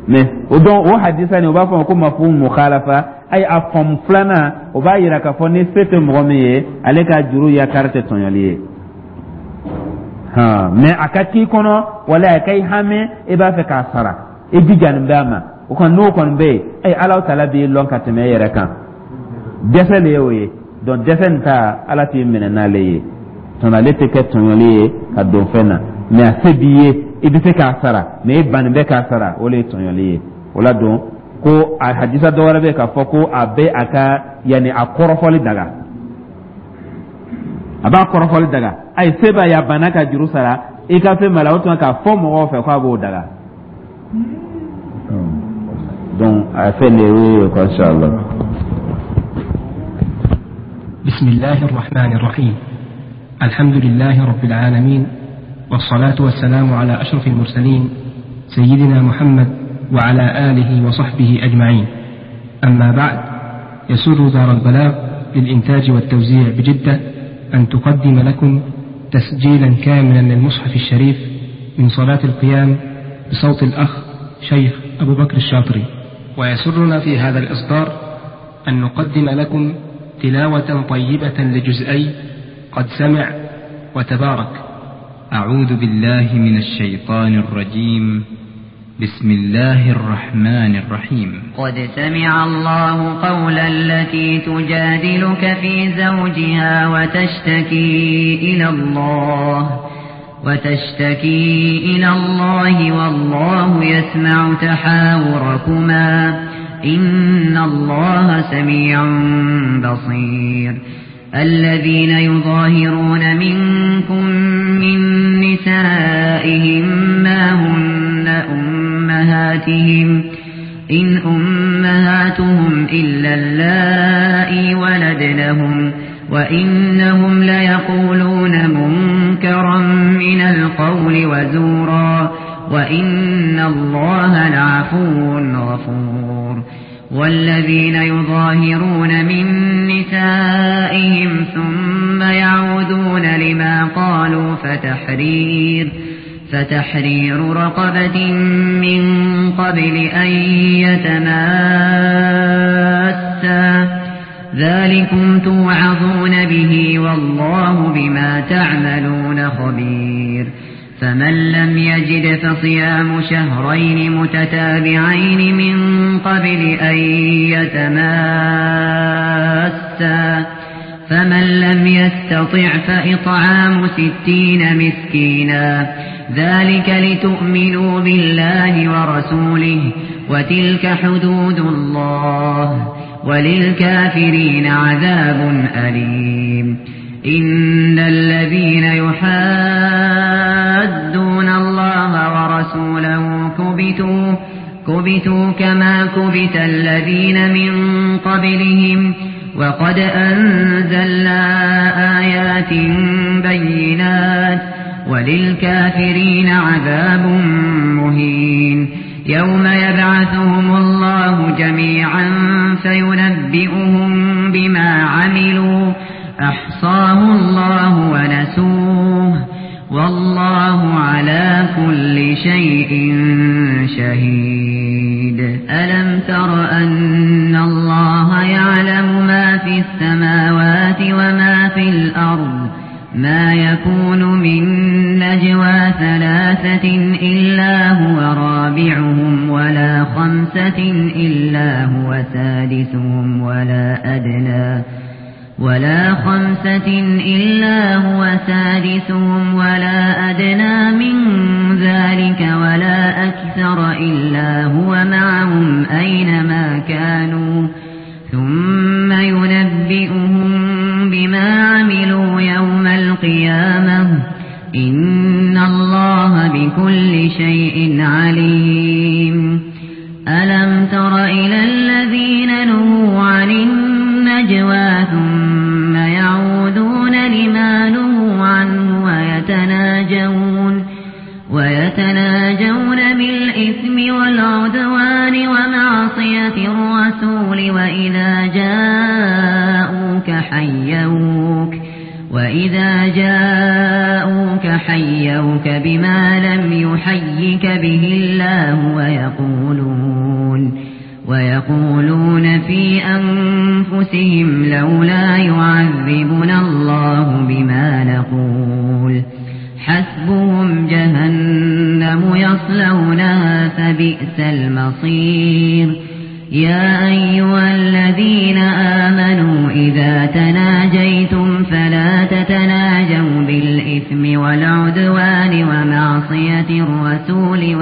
Mais o dɔn o hadisa nin, o b'a fɔ ko mafhum mukhalafa. Ayi, a faamu filanan, o b'a yira k'a fɔ ni se tɛ mɔgɔ min ye, ale ka juru yakari tɛ tɔɲɔli ye. Han, mais a ka k'i kɔnɔ wala a ka i hami, i b'a fɛ k'a sara, i jijalen bɛ a ma, o kɔni, n'o kɔni bɛ yen, ayi, Ala tala b'i lɔn ka tɛmɛ e yɛrɛ kan. Dɛsɛ le ye o ye. Donc dɛsɛ nin ta, Ala t'i minɛ n'ale ye tɔnɔ, ale tɛ kɛ tɔɲɔli ye ka don fɛn na. Mais a se b'i ye, i bɛ se k'a sara, mais i bannen bɛ k'a sara, o le ye tɔɲɔli ye. O la don ko a hadisa dɔ wɛrɛ bɛ yen k'a fɔ ko a bɛ a ka yanni a kɔrɔfɔli daga, a b'a kɔrɔfɔli daga. Ayi, se b'a ye, a banna ka juru sara, i ka fɛn b'a la, o tuma k'a fɔ mɔgɔw fɛ k'a b'o daga. Donc a fɛn de ye quoi, inchallah. بسم الله الرحمن الرحيم. الحمد لله رب العالمين، والصلاة والسلام على أشرف المرسلين سيدنا محمد وعلى آله وصحبه أجمعين. أما بعد، يسر دار البلاغ للإنتاج والتوزيع بجدة أن تقدم لكم تسجيلا كاملا للمصحف الشريف من صلاة القيام بصوت الأخ شيخ أبو بكر الشاطري. ويسرنا في هذا الإصدار أن نقدم لكم تلاوة طيبة لجزئي قد سمع وتبارك. أعوذ بالله من الشيطان الرجيم. بسم الله الرحمن الرحيم. قد سمع الله قول التي تجادلك في زوجها وتشتكي إلى الله والله يسمع تحاوركما إن الله سميع بصير. الذين يظاهرون منكم من نسائهم ما هن أمهاتهم إن أمهاتهم إلا اللائي ولدنهم وإنهم ليقولون منكرا من القول وزورا وإن الله لعفو غفور. والذين يظاهرون من نسائهم ثم يعودون لما قالوا فتحرير رقبة من قبل أن يتماسا ذلكم توعظون به والله بما تعملون خبير. فمن لم يجد فصيام شهرين متتابعين من قبل أن يتماسا فمن لم يستطع فإطعام 60 مسكينا ذلك لتؤمنوا بالله ورسوله وتلك حدود الله وللكافرين عذاب أليم. إن الذين يحادون الله ورسوله كبتوا كما كبت الذين من قبلهم وقد أنزلنا آيات بينات وللكافرين عذاب مهين. يوم يبعثهم الله جميعا فينبئهم بما عملوا أحصاه الله ونسوه والله على كل شيء شهيد. ألم تر أن الله يعلم ما في السماوات وما في الأرض ما يكون من نجوى 3 إلا هو رابعهم ولا ولا 5 إلا هو سادسهم ولا 5 إلا هو سادسهم ولا أدنى من ذلك ولا أكثر إلا هو معهم أينما كانوا ثم ينبئهم بما عملوا يوم القيامة إن الله بكل شيء عليم. ألم تر إلى الذين نهوا عن النجوى ثم يعودون لما نهوا عنه ويتناجون بالإثم والعدوان ومعصية الرسول وإذا جاءوك حيوك بما لم يحيك به الله ويقولون في أنفسهم لولا يعذبنا الله بما نقول حسبهم جهنم يصلونها فبئس المصير. يا أيها الذين آمنوا إذا تناجيتم فلا تتناجوا بالإثم والعدوان ومعصية الرسول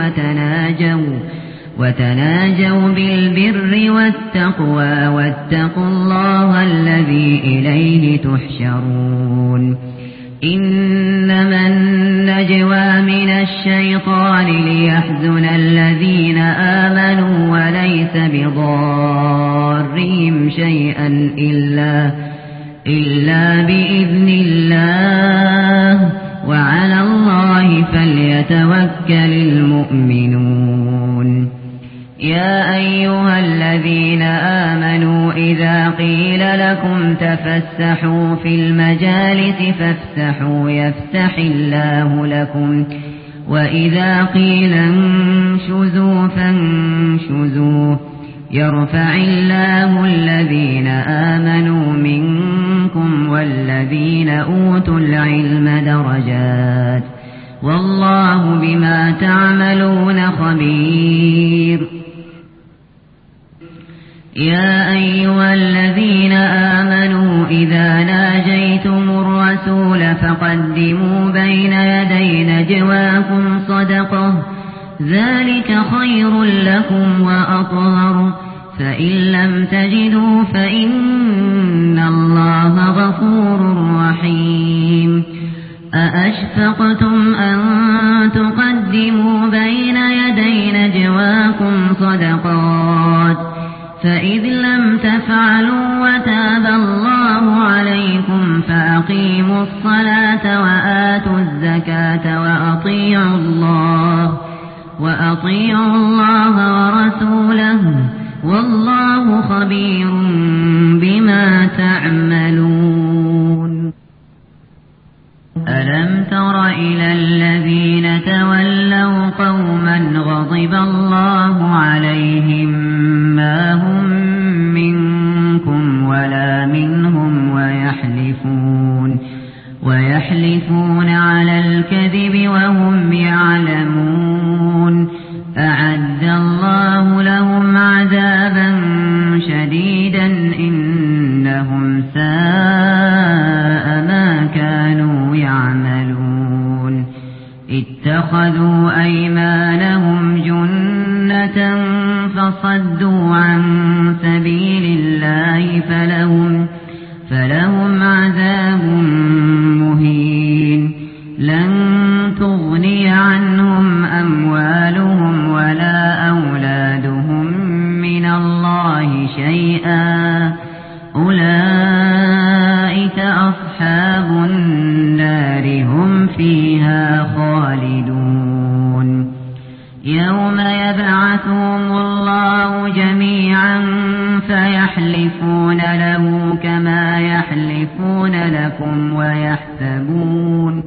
وتناجوا بالبر والتقوى واتقوا الله الذي إليه تحشرون. إنما النجوى من الشيطان ليحزن الذين آمنوا وليس بضارهم شيئا إلا بإذن الله وعلى الله فليتوكل المؤمنون. يا أيها الذين آمنوا إذا قيل لكم تفسحوا في المجالس فافسحوا يفسح الله لكم وإذا قيل انشزوا فانشزوا يرفع الله الذين آمنوا منكم والذين أوتوا العلم درجات والله بما تعملون خبير. يا أيها الذين آمنوا إذا ناجيتم الرسول فقدموا بين يدي نجواكم صدقة ذلك خير لكم وأطهر فإن لم تجدوا فإن الله غفور رحيم. أأشفقتم أن تقدموا بين يدي نجواكم صدقات فإذ لم تفعلوا وتاب الله عليكم فأقيموا الصلاة وآتوا الزكاة وأطيعوا الله ورسوله والله خبير بما تعملون. ألم تر إلى الذين تولوا قوما غضب الله عليهم ما هم منكم ولا منهم ويحلفون على الكذب وهم يعلمون. أعد الله لهم عذابا شديدا إنهم ساء ما كانوا يعملون. اتخذوا أيمانهم جنة فصدوا عن سبيل الله فلهم عذاب مهين. لن تغني عنهم أموالهم ولا أولادهم من الله شيئا أولئك أصحاب النار هم فيها خالدون. يوم يبعثهم الله جميعا فيحلفون له كما يحلفون لكم ويحسبون